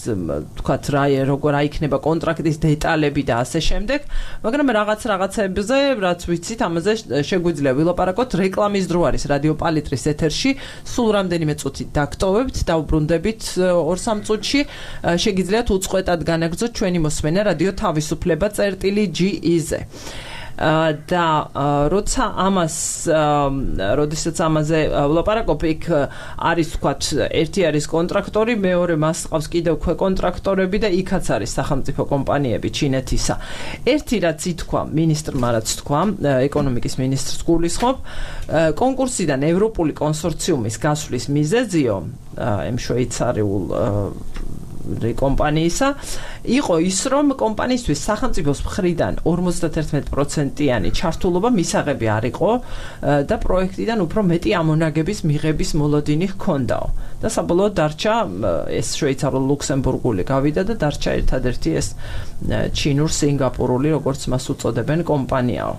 თქვათ რა როგორ აიქნება კონტრაქტის დეტალები და ასე შემდეგ, მაგრამ რაღაც რაღაცებზე, რაც ვიცით, ამაზე შეგვიძლია ვილაპარაკოთ. რეკლამის დრო არის რადიო პალიტრის ეთერში, სულ რამდენიმე წუთით დაგტოვებთ, დავბრუნდებით ორ სამ წუთში, შეგიძლიათ უწყვეტად განაგრძოთ ჩვენი მოსმენა რადიო თავისუფლება წერტილი ჯი ი-ზე. და როცა ამას როდესაც ამაზე ვლაპარაკობ, იქ არის თქვათ ერთი არის კონტრაქტორი, მეორე მას ყავს კიდევ ქვე კონტრაქტორები და იქაც არის სახელმწიფო კომპანიები ჩინეთისა. ერთი რაც ითქვა მინისტრმა, რაც თქვა, ეკონომიკის მინისტრს გულისხმობ, კონკურსიდან ევროპული კონსორციუმის გასვლის მიზეზიო ამ შვეიცარიულ კომპანიისა იყო ის, რომ კომპანიისთვის სახელმწიფოს მხრიდან ორმოცდაერთმეტ პროცენტიანი ჩართულობა მისაღები არ იყო და პროექტიდან უფრო მეტი ამონაგების მიღების მოლოდინი ჰქონდაო. და საბოლოოდ დარჩა ეს შვეიცარიულ ლუქსემბურგული გავიდა და დარჩა ერთადერთი ეს ჩინურ სინგაპურული, როგორც მას უწოდებენ, კომპანიაო.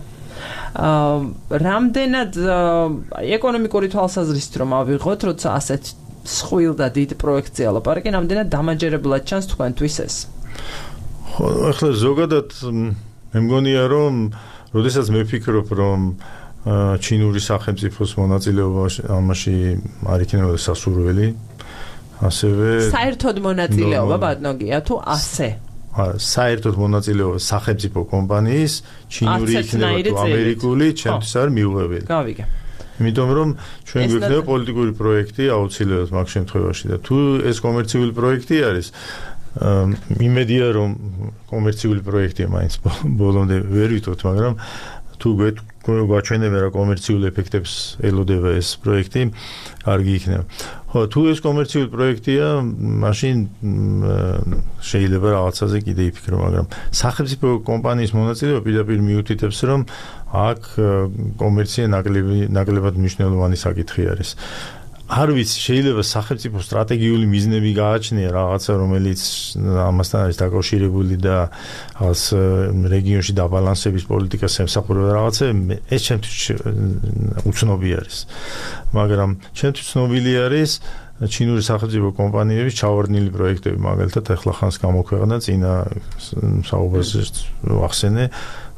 რამდენად ეკონომიკური თვალსაზრისით რომ ავიღოთ, როცა ასეთ სხვილ და დიდ პროექტზე ალაპარაკი, რამდენად დამაჯერებლად ჩანს თქვენთვის ეს? ხო, ახლა ზოგადად მე მგონია, რომ როდესაც მე ვფიქრობ, რომ ჩინური სახელმწიფოს მონაწილეობა ამაში არ იქნება სასურველი, ასევე საერთოდ მონაწილეობა ბატონია თუ ასე? საერთოდ მონაწილეობა სახელმწიფო კომპანიის, ჩინური იქნება თუ ამერიკული, ჩემთვის არ მიუღებელი. გავიგე. იმიტომ რომ ჩვენ გვექნება პოლიტიკური პროექტი აუცილებლად მაგ შემთხვევაში და თუ ეს კომერციული პროექტი არის, იმედია რომ კომერციული პროექტია მაინც ბოლომდე ვერ ვითხოვთ, მაგრამ თუ გვაჩვენებენ რა კომერციულ ეფექტებს ელოდება ეს პროექტი, კარგი იქნება. ხო, თუ ეს კომერციული პროექტია, მაშინ შეიძლება რაღაცაზე კიდე იფიქრო, მაგრამ სახელმწიფო კომპანიის მონაწილეობა პირდაპირ მიუთითებს, რომ აქ კომერცია ნაკლებად მნიშვნელოვანი საკითხი არის. არ ვიცი, შეიძლება სახელმწიფო სტრატეგიული მიზნები გააჩნია რაღაცა, რომელიც ამასთან არის დაკავშირებული და რაღაც რეგიონში დაბალანსების პოლიტიკას ემსახურება რაღაცა, ეს ჩემთვის უცნობი არის. მაგრამ ჩემთვის ცნობილი არის ჩინური სახელმწიფო კომპანიების ჩავარდნილი პროექტები, მაგალითად ახლა ხანს გამოქვეყნა წინა საუბარზე ვახსენე,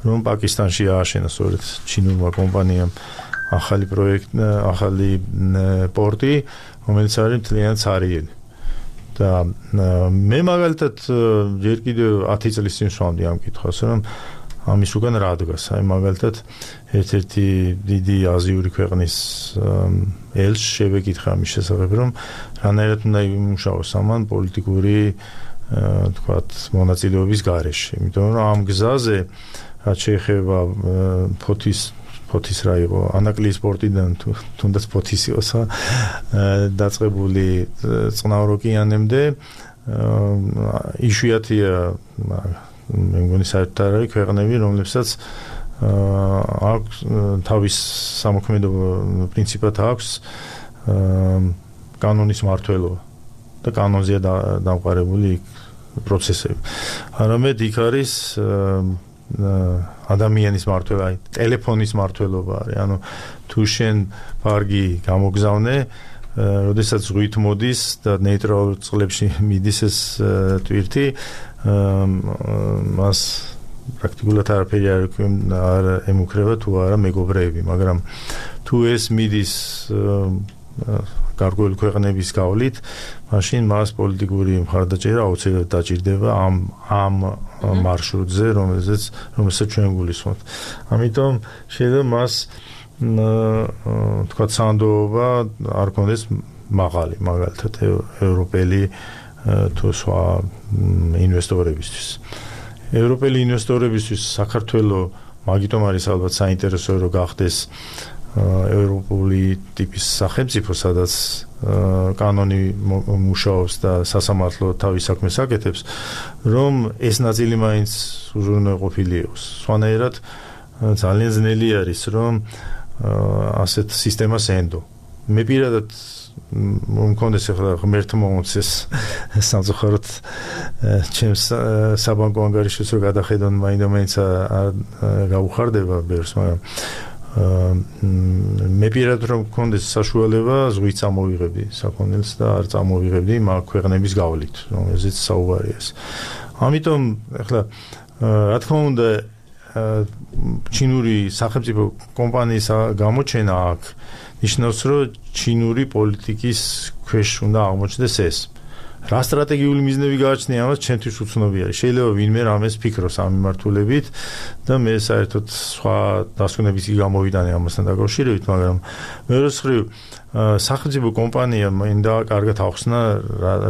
რომ პაკისტანში ააშენა სწორედ ჩინურმა კომპანიამ ახალი პროექტი, ახალი პორტი, რომელიც არის მთლიანად ცარიელი. და მე მაგალითად ჯერ კიდევ ათი წლის წინ ვსვამდი ამ კითხვას, რომ ამის უკან რა დგას. აი მაგალითად ერთ-ერთი დიდი აზიური ქვეყნის ელჩს შევეკითხა ამის შესახებ, რომ რანაირად უნდა იმუშაოს ამან პოლიტიკური თქვათ მონაწილეობის გარეშე. იმიტომ რომ ამ გზაზე რაც შეეხება ფოთის ფოთის რა იყო, ანაკლიის პორტიდან თუნდაც ფოთის იყოს დაწყებული წყნარ ოკეანემდე, იშვიათია მე მგონი საერთოდ არ არის ქვეყნები, რომლებსაც აქვს თავის სამოქმედო პრინციპად აქვს კანონის მმართველობა და კანონზეა დამყარებული პროცესები. არამედ იქ არის ადამიანის მმართველობა, ტელეფონის მმართველობა არის. ანუ თუ შენ ფარგი გამოგზავნე, როდესაც ზღვით მოდის და ნეიტრალურ წყლებში მიდის ეს ტვირთი, მას პრაქტიკულად არაფერი არ ემუქრება თუ არა მეგობრეები, მაგრამ თუ ეს მიდის გარკვეული ქვეყნების გავლით, მაშინ მას პოლიტიკური მხარდაჭერა აუცილებლად დაჭირდება ამ ამ მარშრუტზე, რომელზეც რომელსაც ჩვენ გულისხმობთ. ამიტომ შეიძლება მას თქვა სანდოობა არ კონდეს მაღალი, მაგალითად ევროპელი თუ სხვა ინვესტორებისთვის. ევროპელი ინვესტორებისთვის საქართველოს მაგიტომ არის ალბათ საინტერესო რომ გახდეს ევროპული ტიპის სახელმწიფო, სადაც კანონი მუშაობს და სასამართლო თავის საქმეს აკეთებს, რომ ეს ნაწილი მაინც უზრუნველყოფილი იყოს. სხვანაირად ძალიან ძნელი არის, რომ ასეთ სისტემას ენდო. მე პირადად მომქონდეს ახლა ღმერთმა მომწეს სამწუხაროდ ჩემს საბანკო ანგარიშს რო გადახედონ მაინდა-მაინც გაუხარდება ბევრს, მაგრამ მე პირადად რომ მქონდეს საშუალება ზღვით წამოვიღებდი საქონელს და არ წამოვიღებდი მაგ ქვეყნების გავლით, რომელზეც საუბარია. ამიტომ ახლა რა თქმა უნდა ჩინური სახელმწიფო კომპანიის გამოჩენა აქ ნიშნავს, რომ ჩინური პოლიტიკის ქვეშ უნდა აღმოჩნდეს ეს. რა სტრატეგიული მიზნები გააჩნია ამას ჩემთვის უცნობი არის. შეიძლება ვინმე რამეს ფიქრობს ამ მიმართულებით და მე საერთოდ სხვა დასკვნებითი გამოვიდანე ამასთან დაკავშირებით, მაგრამ მეორე მხრივ სახელმწიფო კომპანია მინდა კარგად ახსნა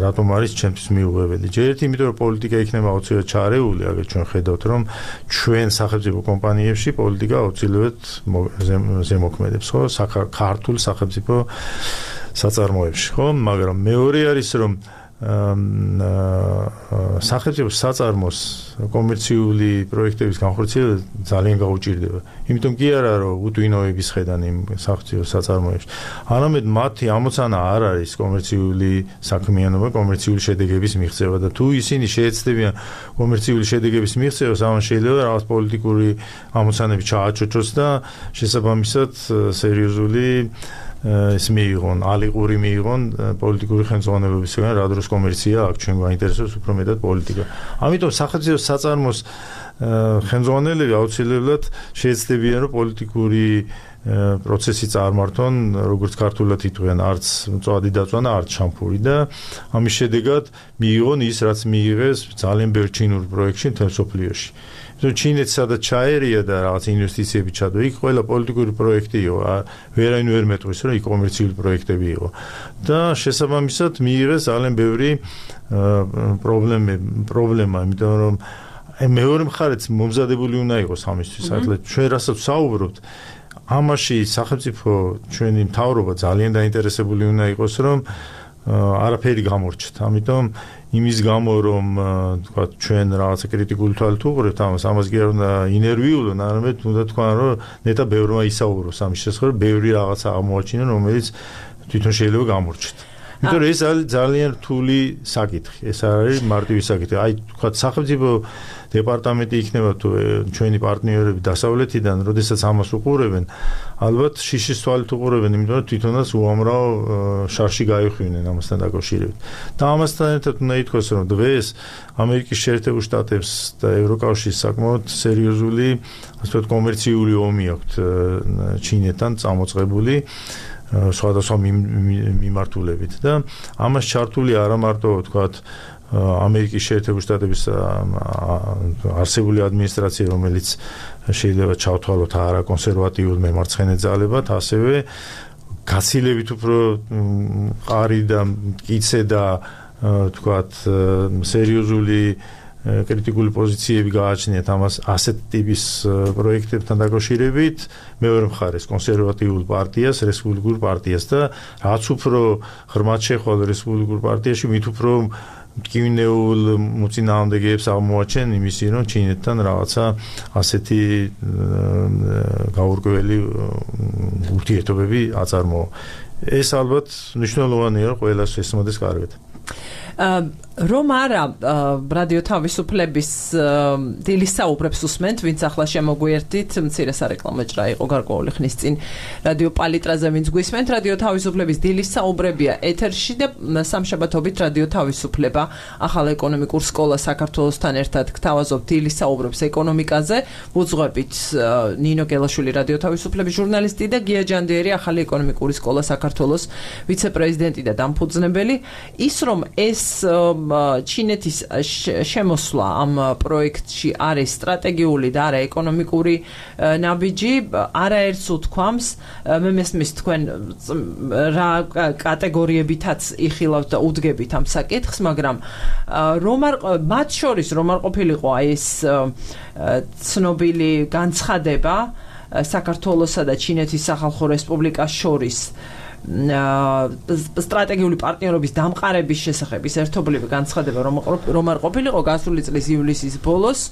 რატომ არის ჩემთვის მიუღებელი. ჯერ ერთი იმიტომ რომ პოლიტიკა იქნება აუცილებლად ჩარეული, აგერ ჩვენ ხედავთ რომ ჩვენ სახელმწიფო კომპანიებში პოლიტიკა აუცილებლად ზემოქმედებს, ხო, ქართულ სახელმწიფო საწარმოებში, ხო, მაგრამ მეორე არის რომ სახელმწიფო საწარმოს კომერციული პროექტების განხორციელება ძალიან გაუჭირდება. იმიტომ კი არა რომ უტვინოების ხედან იმ სახელმწიფო საწარმოებში, არამედ მათი ამოცანა არ არის კომერციული საქმიანობა, კომერციული შედეგების მიღწევა და თუ ისინი შეეცდებიან კომერციული შედეგების მიღწევას, ამან შეიძლება რაღაც პოლიტიკური ამოცანები ჩააჩოჩოს და შესაბამისად სერიოზული ეს მიიღონ, ალიყური მიიღონ პოლიტიკური ხელმძღვანელობისგან, რა დროს კომერცია აქ ჩვენ გვაინტერესებს უფრო მეტად პოლიტიკა. ამიტომ სახელმწიფო საწარმოს ხელმძღვანელები აუცილებლად შეეცდებიან რომ პოლიტიკური პროცესი წარმართონ, როგორც ქართულად იტყვიან, არც მწვადი დაწვანა, არც შამფური და ამის შედეგად მიიღონ ის, რაც მიიღეს ძალიან ბევრ ჩინურ პროექტში მთელ მსოფლიოში. ჩინეთს სადაც ჩაერია და რაღაც ინვესტიციები ჩადო, იქ ყველა პოლიტიკური პროექტი იყო, ვერაინ ვერ მეტყვის, რომ იქ კომერციული პროექტები იყო. და შესაბამისად მიიღეს ძალიან ბევრი პრობლემა, პრობლემა, იმიტომ რომ მეორე მხარეც მომზადებული უნდა იყოს ამისთვის. ახლა ჩვენ რასაც საუბრობთ, ამაში სახელმწიფო ჩვენი მთავრობა ძალიან დაინტერესებული უნდა იყოს, რომ არაფერი გამორჩათ. ამიტომ იმის გამო რომ თქვა ჩვენ რაღაცა კრიტიკული თვალით უყურებთ ამას, ამას კი არ უნდა ინერვიულონ, არამედ უნდა თქვა რომ ნეტა ბევრმა ისაუბროს ამის შესახებ, ბევრი რაღაცა აღმოაჩინონ, რომელიც თვითონ შეიძლება გამორჩათ. იმიტომ რომ ეს არის ძალიან რთული საკითხი, ეს არ არის მარტივი საკითხი. აი თქვა სახელმწიფო დეპარტამენტი იქნება თუ ჩვენი პარტნიორები დასავლეთიდან, როდესაც ამას უყურებენ, ალბათ შიშის თვალით უყურებენ, იმიტომ რომ თვითონაც უამრავ შარში გაიხვინენ ამასთან დაკავშირებით. და ამასთან ერთად უნდა ითქვას, რომ დღეს ამერიკის შეერთებულ შტატებს და ევროკავშირს საკმაოდ სერიოზული, ასე ვთქვათ, კომერციული ომი აქვთ ჩინეთთან წამოწყებული სხვადასხვა მიმართულებით და ამას ჩართული არა მარტო ვთქვათ ამერიკის შეერთებულ შტატების არსებული ადმინისტრაცია, რომელიც შეიძლება ჩავთვალოთ არა კონსერვატიულ მემარცხენე ძალებად, ასევე გაცილებით უფრო ყარი და მტკიცე და ვთქვათ სერიოზული კრიტიკული პოზიციები გააჩნიათ ამას ასეთ ტიპის პროექტებთან დაკავშირებით მეორე მხარეს კონსერვატიულ პარტიას, რესპუბლიკურ პარტიას და რაც უფრო ღრმად შეხვალ რესპუბლიკურ პარტიაში, მით უფრო მტკივნეულ მოწინააღმდეგეებს აღმოაჩენ იმისი, რომ ჩინეთთან რაღაცა ასეთი გაურკვეველი ურთიერთობები აწარმოა. ეს ალბათ მნიშვნელოვანია, რომ ყველას ესმოდეს კარგად. რომ არა რადიო თავისუფლების დილის საუბრებს უსმენთ, ვინც ახლა შემოგვიერთდით, მცირე სარეკლამო ჭრა იყო გარკვეული ხნის წინ რადიო პალიტრაზე, ვინც გვისმენთ, რადიო თავისუფლების დილის საუბრებია ეთერში და სამშაბათობით რადიო თავისუფლება ახალ ეკონომიკურ სკოლა საქართველოსთან ერთად გთავაზობთ დილის საუბრებს ეკონომიკაზე, უძღვებით ნინო გელაშვილი რადიო თავისუფლების ჟურნალისტი და გია ჯანდიერი ახალი ეკონომიკური სკოლა საქართველოს ვიცე-პრეზიდენტი და დამფუძნებელი. ის რომ ეს ჩინეთის შემოსვლა ამ პროექტში არის სტრატეგიული და არა ეკონომიკური ნაბიჯი, არაერთს უთქვამს, მე მესმის თქვენ რა კატეგორიებითაც იხილავთ და უდგებით ამ საკითხს, მაგრამ რომ არ მათ შორის რომ არ ყოფილიყო ეს ცნობილი განცხადება საქართველოსა და ჩინეთის სახალხო რესპუბლიკას შორის, სტრატეგიული პარტნიორობის დამყარების შესახებ ის ერთობლივი განცხადება რომ რომ არ ყოფილიყო გასული წლის ივლისის ბოლოს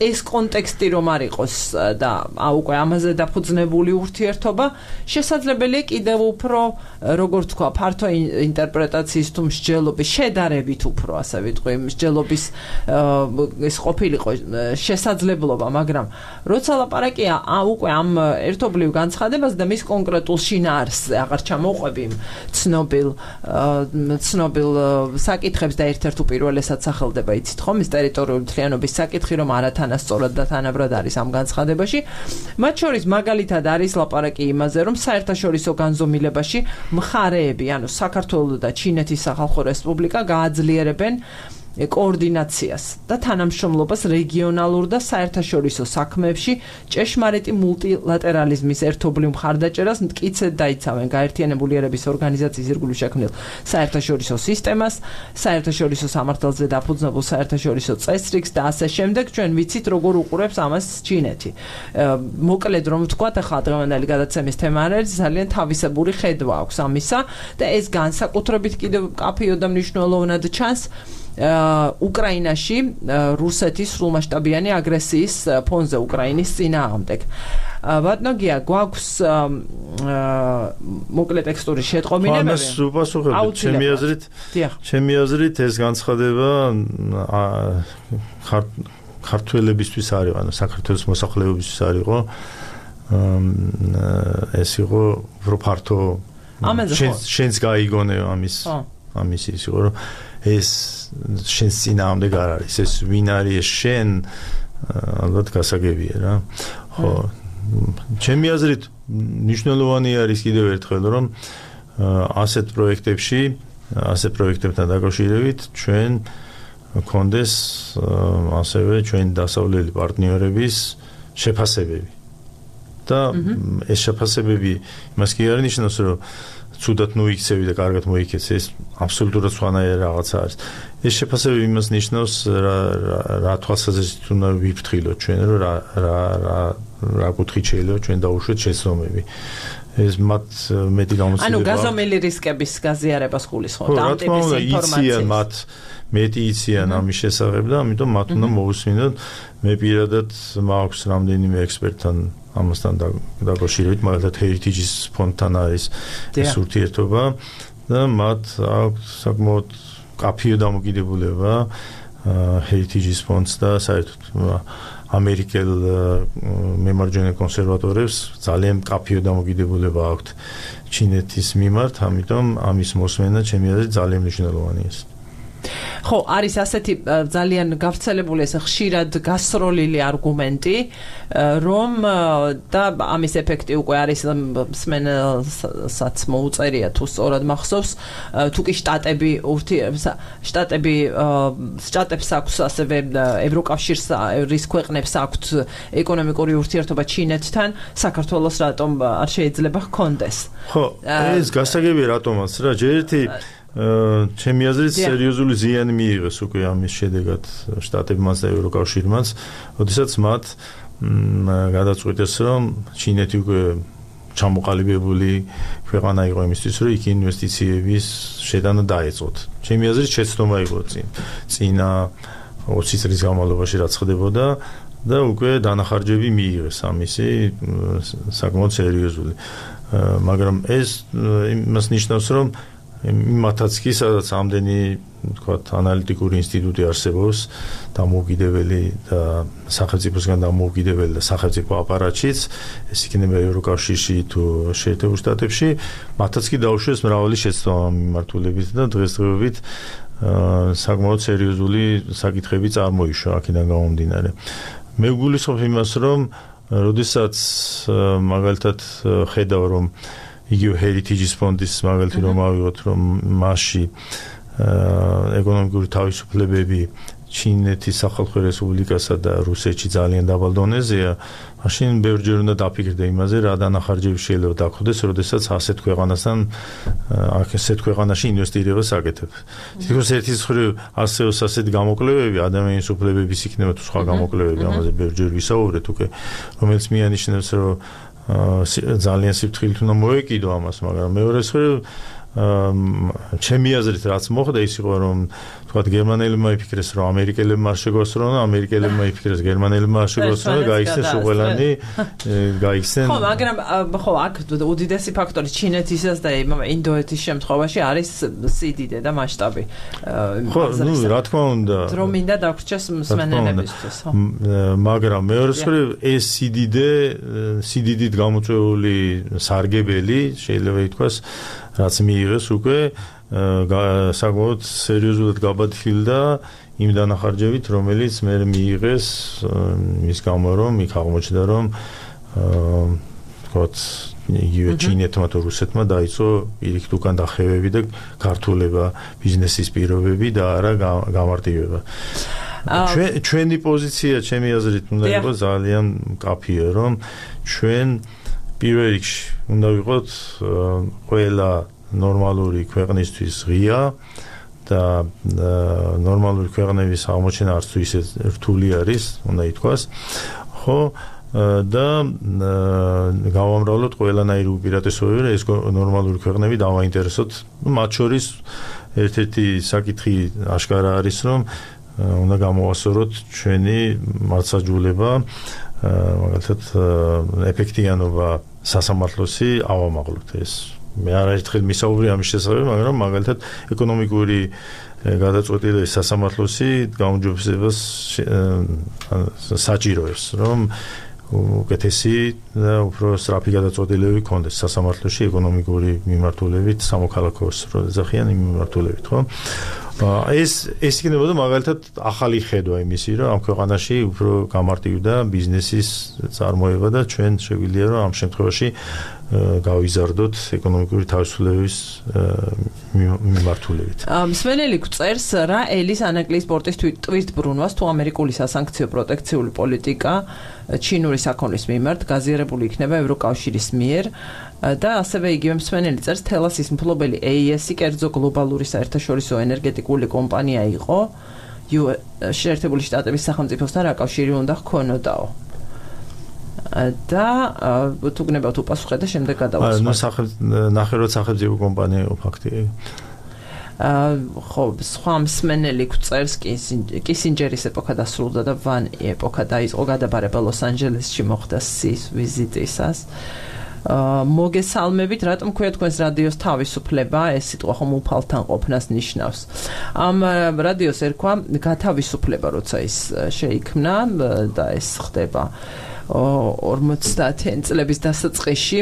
ეს კონტექსტი რომ არ იყოს და უკვე ამაზე დაფუძნებული ურთიერთობა შესაძლებელია კიდევ უფრო როგორც თქვა ფართო ინტერპრეტაციის თუ მსჯელობის შედარებით უფრო ასე ვიტყვი მსჯელობის ეს ყოფილიყო შესაძლებლობა მაგრამ როცა ლაპარაკია უკვე ამ ერთობლივ განცხადებას და მის კონკრეტულ შინაარსზე აღარ ჩამოყვები ცნობილ ცნობილ საკითხებს და ერთ-ერთ უპირველესად სახელდება იცით ხომ ის ტერიტორიული მთლიანობის საკითხი რომ არათანასწორად და თანაბრად არის ამ განცხადებაში მათ შორის მაგალითად არის ლაპარაკი იმაზე რომ საერთაშორისო განზომილებაში მხარეები ანუ საქართველო და ჩინეთის სახალხო რესპუბლიკა გააძლიერებენ კოორდინაციას და თანამშრომლობას რეგიონალურ და საერთაშორისო საქმეებში ჭეშმარიტი მულტილატერალიზმის ერთობლივ მხარდაჭერას მტკიცედ დაიცავენ გაერთიანებული ერების ორგანიზაციის ირგვლივ შექმნილ საერთაშორისო სისტემას, საერთაშორისო სამართალზე დაფუძნებულ საერთაშორისო წესრიგს და ასე შემდეგ. ჩვენ ვიცით როგორ უყურებს ამას ჩინეთი. მოკლედ რომ ვთქვათ, ახლა დღევანდელი გადაცემის თემა არის ძალიან თავისებური ხედვა აქვს ამისა და ეს განსაკუთრებით კიდევ კაფეო და მნიშვნელოვნად ჩანს უკრაინაში რუსეთის სრულმასშტაბიანი აგრესიის ფონზე უკრაინის წინააღმდეგ. ბატონო გია გვაქვს მოკლე ტექსტური შეტყობინებები. ამას უპასუხებთ ჩემი აზრით. ჩემი აზრით ეს განცხადება ქართველებისთვის არის, ანუ საქართველოს მოსახლეობისთვის არისო. ეს იყო უფრო ფართო შენს გაიგონე ამის ამის ის იყო რომ ეს შენს წინააღმდეგ არ არის ეს ვინ არის შენ ალბათ გასაგებია რა ხო ჩემი აზრით მნიშვნელოვანი არის კიდევ ერთხელ რომ ასეთ პროექტებში ასეთ პროექტებთან დაკავშირებით ჩვენ გქონდეს ასევე ჩვენ დასავლელი პარტნიორების შეფასებები და ეს შეფასებები იმას კი არ ნიშნავს რომ ცუდად მოიქცევი და კარგად მოიქცეს ეს აბსოლუტურად სხვანაირი რაღაცა არის. ეს შეფასებები იმას ნიშნავს რა რა თვალსაზრისით უნდა ვიფრთხილოთ ჩვენ რომ რა რა რა კუთხით შეიძლება ჩვენ დაუშვეთ შეცდომები. ეს მათ მეტი გამოცდილება. ანუ გაზომილი რისკების გაზიარებას გულისხმობთ ამ ტიპის ინფორმაციას. მათ მეტი იციან ამის შესახებ და ამიტომ მათ უნდა მოусმინოთ. მე პირადად მაქვს რამდენიმე ექსპერტთან ამასთან დაკავშირებით, მაგალითად Heritage-ის ფონდთან არის ეს ურთიერთობა და მათ აქვს საკმაოდ კაფეო დამოკიდებულება Heritage-ის ფონდს და საერთოდ ამერიკელ მემარჯვენე კონსერვატორებს ძალიან კაფეო დამოკიდებულება აქვთ ჩინეთის მიმართ, ამიტომ ამის მოსმენა ჩემი აზრით ძალიან მნიშვნელოვანია. ხო, არის ასეთი ძალიან გავრცელებული ეს ხშირად გასროლილი არგუმენტი, რომ და ამის ეფექტი უკვე არის მსმენელსაც მოუწერია თუ სწორად მახსოვს, თუ კი შტატები შტატები შტატებს აქვს ასევე ევროკავშირს რის ქვეყნებს აქვთ ეკონომიკური ურთიერთობა ჩინეთთან, საქართველოს რატომ არ შეიძლება ჰქონდეს? ხო, ეს გასაგებია რატომაც რა, ჯერ ერთი ჩემი აზრით სერიოზული ზიანი მიიღეს უკვე ამის შედეგად შტატებმაც და ევროკავშირმაც, როდესაც მათ გადაწყვიტეს რომ ჩინეთი უკვე ჩამოყალიბებული ქვეყანა იყო იმისთვის რომ იქ ინვესტიციების შეტანა დაეწყოთ. ჩემი აზრით შეცდომა იყო წინ წინა ოცი წლის განმავლობაში რაც ხდებოდა და უკვე დანახარჯები მიიღეს ამისი საკმაოდ სერიოზული. მაგრამ ეს იმას ნიშნავს რომ იმათაც კი სადაც ამდენი თქვათ ანალიტიკური ინსტიტუტი არსებობს დამოუკიდებელი და სახელმწიფოსგან დამოუკიდებელი და სახელმწიფო აპარატშიც ეს იქნება ევროკავშირში თუ შეერთებულ შტატებში მათაც კი დაუშვეს მრავალი შეცდომა მიმართულებით და დღესდღეობით საკმაოდ სერიოზული საკითხები წარმოიშვა აქედან გამომდინარე. მე ვგულისხმობ იმას რომ როდესაც მაგალითად ხედავ რომ იგივე Heritage-ის ფონდის მაგალითი რომ ავიღოთ რომ მასში ეკონომიკური თავისუფლებები ჩინეთის სახალხო რესპუბლიკასა და რუსეთში ძალიან დაბალ დონეზეა, მაშინ ბევრჯერ უნდა დაფიქრდე იმაზე, რა დანახარჯები შეიძლება დაგხვდეს, როდესაც ასეთ ქვეყანასთან ასეთ ქვეყანაში ინვესტირებას აკეთებ. თითქოს ერთის მხრივ არსებობს ასეთ გამოკვლევები, ადამიანის უფლებების იქნება თუ სხვა გამოკვლევები, ამაზე ბევრჯერ ვისაუბრეთ უკვე, რომელიც მიანიშნებს, რომ ძალიან სიფრთხილით უნდა მოეკიდო ამას, მაგრამ მეორე მხრივ ჩემი აზრით რაც მოხდა ის იყო რომ თქვა გერმანელებმა იფიქრეს რომ ამერიკელებმა არ შეგოსრონ, ამერიკელებმა იფიქრეს გერმანელებმა არ შეგოსრონ და გაიქცეს უყველანი, გაიქცენ. ხო, მაგრამ ხო, აქ უდიდესი ფაქტორი ჩინეთისაც და ინდოეთის შემთხვევაში არის სიდიდე და მასშტაბი. ხო, ნუ რა თქმა უნდა. რომ მინდა დაგვრჩეს მსმენელებისთვის, ხო. მაგრამ მეორე მხრივ ეს სიდიდე, სიდიდით გამოწვეული სარგებელი შეიძლება ითქვას რაც მიიღეს უკვე საკმაოდ სერიოზულად გაბატილდა იმ დანახარჯებით, რომელიც მე მიიღეს მის გამო რომ იქ აღმოჩნდა რომ თქოთ იგივე ჩინეთმა თუ რუსეთმა დაიწყო პირიქით უკან დახევები და გართულება ბიზნესის პირობები და არა გამარტივება. ჩვენი პოზიცია, ჩემი აზრით, უნდა იყოს ძალიან მკაფიო, რომ ჩვენ პირველ რიგში უნდა ვიყოთ ყველა ნორმალური ქვეყნისთვის ღია და ნორმალური ქვეყნების აღმოჩენა არც თუ ისე რთული არის, უნდა ითქვას. ხო და გავამრავლოთ ყველანაირი უპირატესობები, რომ ეს ნორმალური ქვეყნები დავაინტერესოთ. მათ შორის ერთ-ერთი საკითხი აშკარა არის, რომ უნდა გამოვასწოროთ ჩვენი მართლმსაჯულება, მაგალითად ეფექტიანობა სასამართლოსი ავამაღლოთ. ეს მე არაერთხელ მისაუბრე ამის შესახებ, მაგრამ მაგალითად ეკონომიკური გადაწყვეტილების სასამართლოსი გაუმჯობესებას საჭიროებს, რომ უკეთესი და უფრო სწრაფი გადაწყვეტილებები ქონდეს სასამართლოში ეკონომიკური მიმართულებით, სამოქალაქოს როძახიან იმ მიმართულებით, ხო? ეს ეს იქნებოდა მაგალითად ახალი ხედვა იმისი, რომ ამ ქვეყანაში უფრო გამარტივდა ბიზნესის წარმოება და ჩვენ შეგვიძლია რომ ამ შემთხვევაში გავიზარდოთ ეკონომიკური თავისუფლების მიმართულებით. მსმენელი გვწერს რა ელის ანაკლიის პორტის ტვირთბრუნვას თუ ამერიკული სასანქციო პროტექციული პოლიტიკა ჩინური საქონლის მიმართ გაზიარებული იქნება ევროკავშირის მიერ და ასევე იგივე მსმენელი წერს თელასის მფლობელი ეი ესი კერძო გლობალური საერთაშორისო ენერგეტიკული კომპანია იყო შეერთებული შტატების სახელმწიფოსთან რა კავშირი უნდა ჰქონოდაო. და თუ გნებავთ უპასუხე და შემდეგ გადავასვათ. ნუ სახელ ნახევრად სახელმწიფო კომპანია იყო ფაქტია. ხო, სხვა მსმენელი გვწერს კისინჯერის ეპოქა დასრულდა და ვან ეპოქა დაიწყო გადაბარება ლოს-ანჯელესში მოხდა სის ვიზიტისას. მოგესალმებით, რატომ ქვია თქვენს რადიოს თავისუფლება, ეს სიტყვა ხომ უფალთან ყოფნას ნიშნავს. ამ რადიოს ერქვა გათავისუფლება, როცა ის შეიქმნა და ეს ხდება ორმოცდაათი წლების დასაწყისში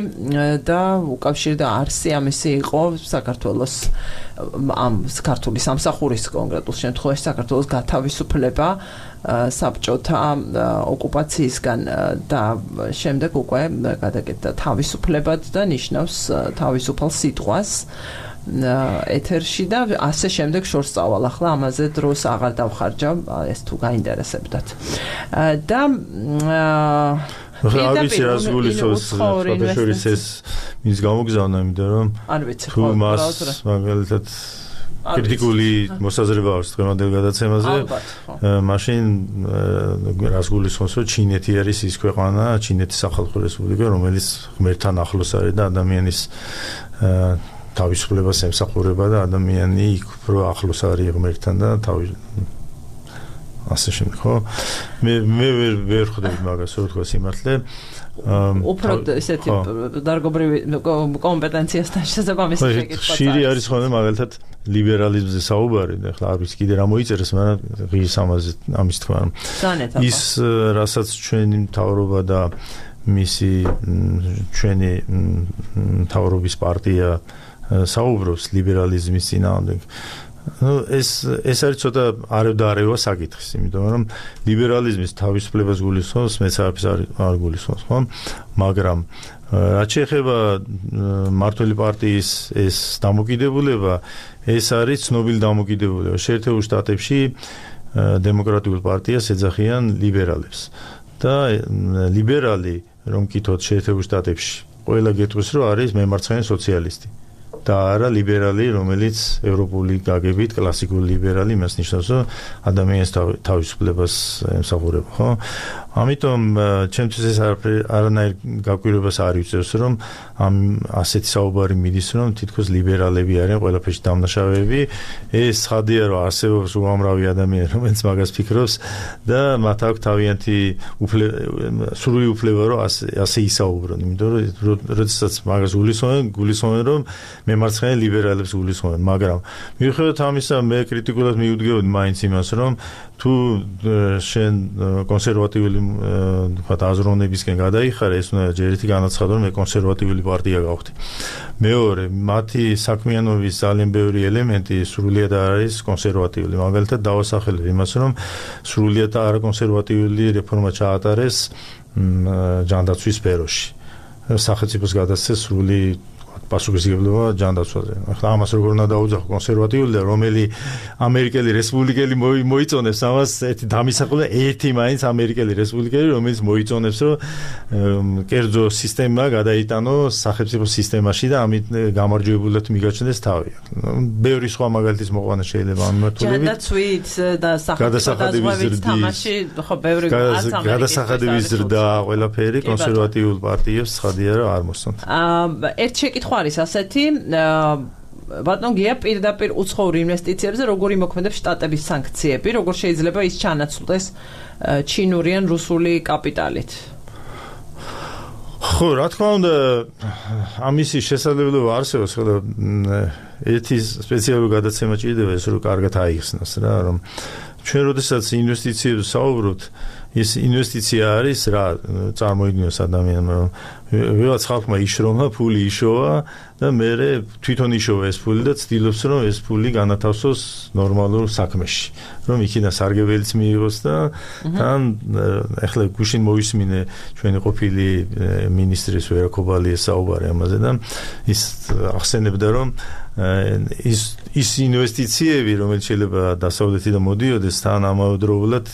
და უკავშირდა არსი ამისი იყო საქართველოს ამ ქართული სამსახურის კონკრეტულ შემთხვევაში საქართველოს გათავისუფლება საბჭოთა ოკუპაციისგან და შემდეგ უკვე გადაკეთდა თავისუფლებად და ნიშნავს თავისუფალ სიტყვას ეთერში და ასე შემდეგ შორს წავალ. ახლა ამაზე დროს აღარ დავხარჯავ, ეს თუ გაინტერესებდათ. და რა ვიცი რას გულისხმობს შორის ეს მის გამოგზავნა, იმიტომ რომ თუ მას მაგალითად კრიტიკული მოსაზრება აქვს დღევანდელ გადაცემაზე, მაშინ რას გულისხმობს, რომ ჩინეთი არის ის ქვეყანა, ჩინეთის სახალხო რესპუბლიკა, რომელიც ღმერთთან ახლოს არის და ადამიანის თავისუფლებას ემსახურება და ადამიანი იქ უფრო ახლოს არის ღმერთთან და თავი ასე შემდეგ, ხო? მე მე ვერ ვერ ხვდები მაგას, რო თქვა სიმართლე. უფრო ესეთი დარგობრივი კომპეტენციასთან შესაბამისი შეკითხვა. ხშირი არის ხოლმე მაგალითად ლიბერალიზმზე საუბარი, და ახლა არ ვიცი კიდე რა მოიწერეს, მაგრამ ღირს ამაზე ამის თქვა. ის რასაც ჩვენი მთავრობა და მისი ჩვენი მთავრობის პარტია საუბრობს ლიბერალიზმის წინააღმდეგ. ნუ ეს ეს არის ცოტა არევდარევა საკითხის, იმიტომ რომ ლიბერალიზმის თავისუფლებას გულისხმობს, მეც არაფერს არ გულისხმობს, ხო? მაგრამ რაც შეეხება მმართველი პარტიის ეს დამოკიდებულება, ეს არის ცნობილი დამოკიდებულება. შეერთებულ შტატებში დემოკრატიულ პარტიას ეძახიან ლიბერალებს და ლიბერალი რომ კითხოთ შეერთებულ შტატებში, ყველა გეტყვის რომ არის მემარცხენე სოციალისტი. და არა ლიბერალი, რომელიც ევროპული გაგებით კლასიკური ლიბერალი, იმას ნიშნავს, რომ ადამიანის თავისუფლებას ემსახურება, ხო? ამიტომ ჩემთვის ეს არანაირ გაკვირვებას არ იწევს, რომ ამ ასეთი საუბარი მიდის, რომ თითქოს ლიბერალები არიან ყველაფერში დამნაშავეები. ეს ხადია, რომ არსებობს უამრავი ადამიანი, რომელიც მაგას ფიქრობს და მათ აქვს თავიანთი სრული უფლება, რომ ასე ისაუბრონ, იმიტომ რომ როდესაც მაგას გულისხმობენ, გულისხმობენ, რომ მემარცხენე ლიბერალებს გულისხმობენ, მაგრამ მიუხედავად ამისა, მე კრიტიკულად მივუდგებოდი მაინც იმას, რომ თუ შენ კონსერვატიული თქვათ აზროვნებისკენ გადაიხარე, ეს უნდა ჯერ ერთი განაცხადო, რომ მე კონსერვატიული პარტია გავხდი. მეორე, მათი საქმიანობის ძალიან ბევრი ელემენტი სრულიად არ არის კონსერვატიული. მაგალითად, დავასახელებ იმას, რომ სრულიად არაკონსერვატიული რეფორმა ჩაატარეს ჯანდაცვის სფეროში. სახელმწიფოს გადასცეს სრული პასუხისმგებლობა ჯანდაცვაზე. ახლა ამას როგორ უნდა დაუძახო კონსერვატიული და რომელი ამერიკელი რესპუბლიკელი მოიწონებს ამას ერთი დამისახულება ერთი მაინც ამერიკელი რესპუბლიკელი რომელიც მოიწონებს რომ კერძო სისტემა გადაიტანო სახელმწიფო სისტემაში და ამით გამარჯვებულად მიგაჩნდეს თავი. ბევრი სხვა მაგალითის მოყვანა შეიძლება ამ მიმართულებით. ჯანდაცვით და სახელმწიფო თამაში ხო ბევრი გადასახადების ზრდა ყველაფერი კონსერვატიულ პარტიებს ცხადია რომ არ მოსწონთ. ერთ შეკითხვა არის ასეთი, ბატონ გია პირდაპირ უცხოურ ინვესტიციებზე როგორი მოქმედებს შტატების სანქციები, როგორ შეიძლება ის ჩანაცვლდეს ჩინური ან რუსული კაპიტალით? ხო, რა თქმა უნდა, ამისი შესაძლებლობა არსებობს, ხოლო ერთი სპეციალური გადაცემა ჭირდება ეს რომ კარგად აიხსნას რა, რომ ჩვენ როდესაც ინვესტიციებზე საუბრობთ, ეს ინვესტიცია არის რა წარმოიდგინოს ადამიანმა რომ ვიღაც ხალხმა იშრომა ფული იშოვა და მე თვითონ იშოვა ეს ფული და ცდილობს რომ ეს ფული განათავსოს ნორმალურ საქმეში რომ იქიდან სარგებელიც მიიღოს და თან ახლა გუშინ მოისმინე ჩვენი ყოფილი მინისტრის ვერა ქობალიეს საუბარი ამაზე და ის ახსენებდა რომ ის ის ინვესტიციები რომელიც შეიძლება დასავლეთიდან მოდიოდეს თან ამავდროულად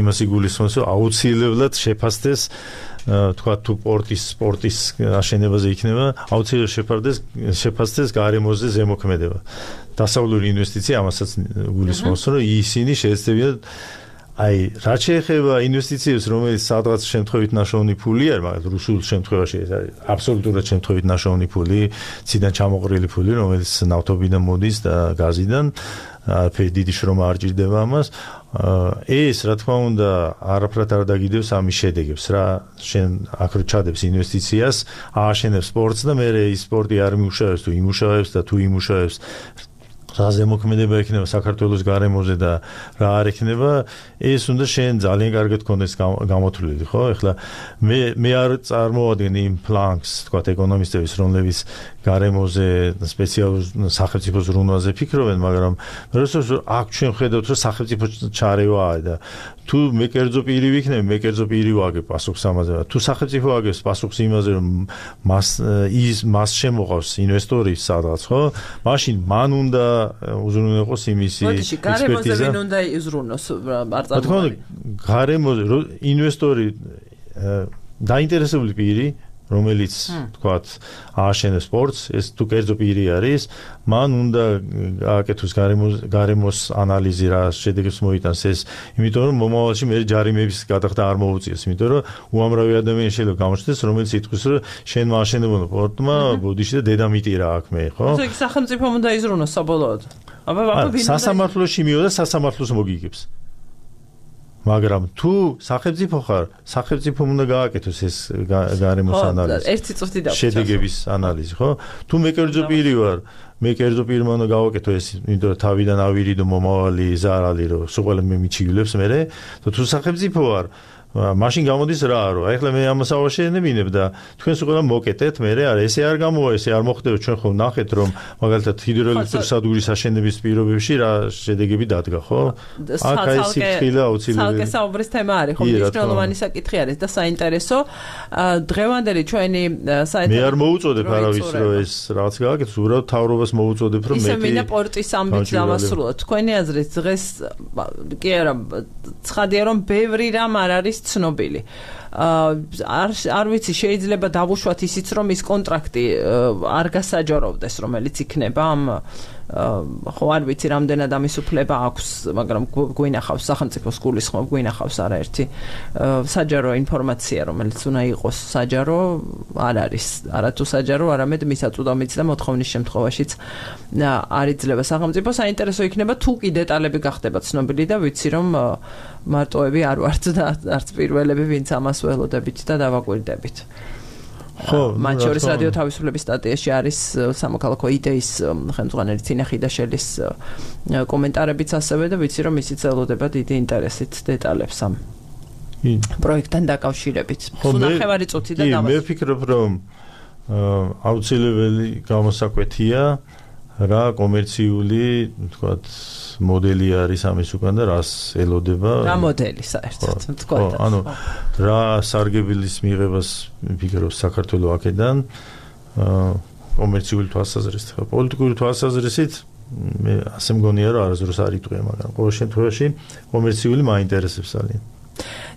იმას იგულისხმობს რომ აუცილებლად შეფასდეს თქვა თუ პორტის სპორტის აშენებაზე იქნება აუცილებლად შეფასდეს შეფასდეს გარემოზე ზემოქმედება დასავლური ინვესტიცია ამასაც გულისხმობს რომ ისინი შეეცდებიან აი რაც შეეხება ინვესტიციებს რომელიც სადღაც შემთხვევით ნაშოვნი ფულია მაგრამ რუსულ შემთხვევაში ეს არის აბსოლუტურად შემთხვევით ნაშოვნი ფული ციდან ჩამოყრილი ფული რომელიც ნავთობიდან მოდის და გაზიდან არაფერი დიდი შრომა არ ჭირდება ამას ეს რა თქმა უნდა არაფრად არ დაგიდევს ამის შედეგებს რა შენ აქ რო ჩადებს ინვესტიციას ააშენებს სპორტს და მე ის სპორტი არ მიუშავებს თუ იმუშავებს და თუ იმუშავებს რა ზემოქმედება იქნება საქართველოს გარემოზე და რა არ იქნება ეს უნდა შენ ძალიან კარგად გქონდეს გამოთვლილი ხო ეხლა მე მე არ წარმოვადგენ იმ პლანკს თქვა ეკონომისტების რომლებიც გარემოზე სპეციალურ სახელმწიფო ზრუნვაზე ფიქრობენ მაგრამ როდესაც აქ ჩვენ ხედავთ რომ სახელმწიფო ჩარევაა და თუ მე კერძო პირი ვიქნები მე კერძო პირი ვაგებ პასუხს ამაზე თუ სახელმწიფო აგებს პასუხს იმაზე რომ მას ის მას შემოყავს ინვესტორი სადღაც ხო მაშინ მან უნდა უზრუნველყოს იმისი ექსპერტიზა ვინ უნდა იზრუნოს არ წარმოგვიდგენია გარემოზე ინვესტორი დაინტერესებული პირი რომელიც თქვათ ააშენებს სპორტს ეს თუ კერძო პირი არის მან უნდა გააკეთოს გარემოს ანალიზი რა შედეგებს მოიტანს ეს იმიტომ რომ მომავალში მე ჯარიმების გადახდა არ მოუწიეს იმიტომ რომ უამრავი ადამიანი შეიძლება გამოჩნდეს რომელიც იტყვის რომ შენ მააშენებონა სპორტმა ბოდიში და დედამიტი რა აქ მე ხო ესე იგი სახელმწიფომ უნდა იზრუნოს საბოლოოდ აბა აბა ვინ სასამართლოში მივიდა სასამართლოს მოგიგებს მაგრამ თუ სახელმწიფო ხარ სახელმწიფომ უნდა გააკეთოს ეს გარემოს ანალიზი ერთი წუთი და შედეგების ანალიზი ხო თუ მე კერძო პირი ვარ მე კერძო პირმა უნდა გავაკეთო ეს იმიტომ რომ თავიდან ავირიდო მომავალი ზარალი რომ სულ ყველა მე მიჩივლებს მე და თუ სახელმწიფო ვარ მაშინ გამოდის რა რომ აი ახლა მე ამას ავაშენებინებ და თქვენ სულ ყველა მოკეტეთ მე არა ესე არ გამოვა ესე არ მოხდება ჩვენ ხო ნახეთ რომ მაგალითად ჰიდროელექტროსადგურის აშენების პირობებში რა შედეგები დადგა ხო აქ აი სიფრთხილე აუცილებელი ცალკე საუბრის თემა არის ხო მნიშვნელოვანი საკითხი არის და საინტერესო დღევანდელი ჩვენი საერთო მე არ მოუწოდებ არავის რომ ეს რაღაც გააკეთოს უბრალოდ თავრობას მოუწოდებ რომ მე ისე მინდა პორტის ამბიც დავასრულოთ თქვენი აზრით დღეს კი არა ცხადია რომ ბევრი რამ არ არის ცნობილი. არ არ ვიცი შეიძლება დავუშვათ ისიც რომ ის კონტრაქტი არ გასაჯაროვდეს რომელიც იქნება ამ ხო არ ვიცი რამდენად ამის უფლება აქვს, მაგრამ გვინახავს სახელმწიფოს გულისხმობ გვინახავს არაერთი საჯარო ინფორმაცია, რომელიც უნდა იყოს საჯარო, არ არის, არათუ საჯარო, არამედ მისაწვდომიც და მოთხოვნის შემთხვევაშიც არ იძლევა სახელმწიფო. საინტერესო იქნება თუ კი დეტალები გახდება ცნობილი და ვიცი რომ მარტოები არ ვართ და არც პირველები ვინც ამას ველოდებით და დავაკვირდებით. ხო, მათ შორის რადიო თავისუფლების სტატიაში არის სამოქალაქო იდეის ხელმძღვანელი წინა ხიდაშელის კომენტარებიც ასევე და ვიცი რომ ისიც ელოდება დიდი ინტერესით დეტალებს ამ პროექტთან დაკავშირებით. ნახევარი წუთი და დავასრულებ. მე ვფიქრობ რომ აუცილებელი გამოსაკვეთია რა კომერციული თქვათ მოდელი არის ამის უკან და რას ელოდება რა მოდელი საერთოდ თქვათ ანუ რა სარგებლის მიღებას ვფიქრობ საქართველოს აქედან კომერციული თვალსაზრისით პოლიტიკური თვალსაზრისით მე ასე მგონია რომ არასდროს არ იტყვია მაგრამ ყოველ შემთხვევაში კომერციული მაინტერესებს ძალიან.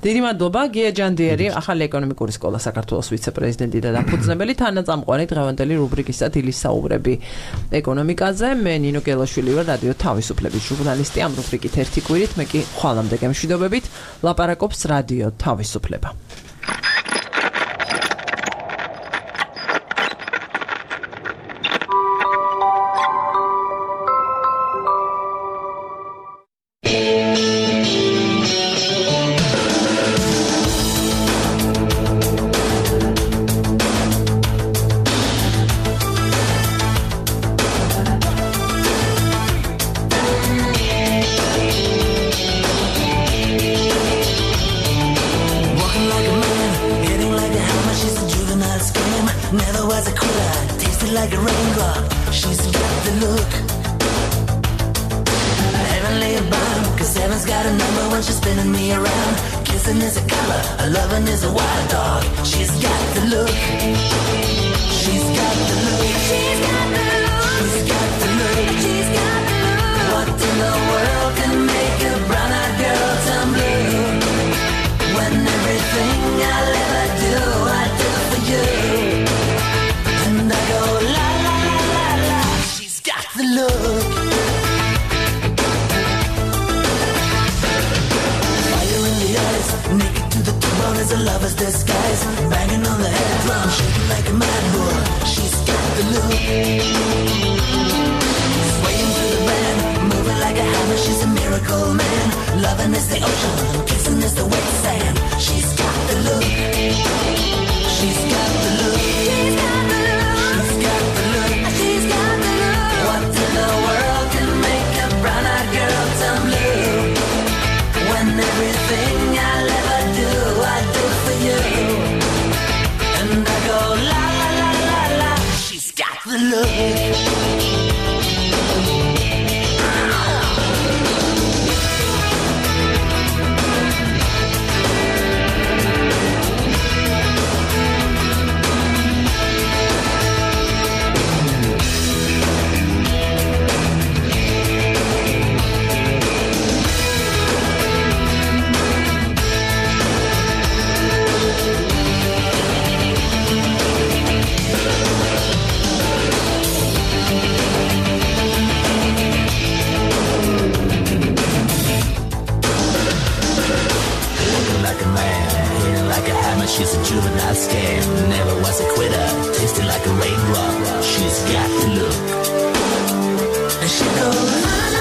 დიდი მადლობა გია ჯანდიერი, ახალი ეკონომიკური სკოლა საქართველოს ვიცე-პრეზიდენტი და დაფუძნებელი, თანაწამყვანი დღევანდელი რუბრიკისა დილის საუბრები ეკონომიკაზე. მე ნინო გელაშვილი ვარ, რადიო თავისუფლების ჟურნალისტი. ამ რუბრიკით ერთი კვირით, მე კი ხვალამდე გემშვიდობებით, ლაპარაკობს რადიო თავისუფლება. She's a juvenile scam, never was a quitter, tasting like a raindrop. She's got the look, and she goes.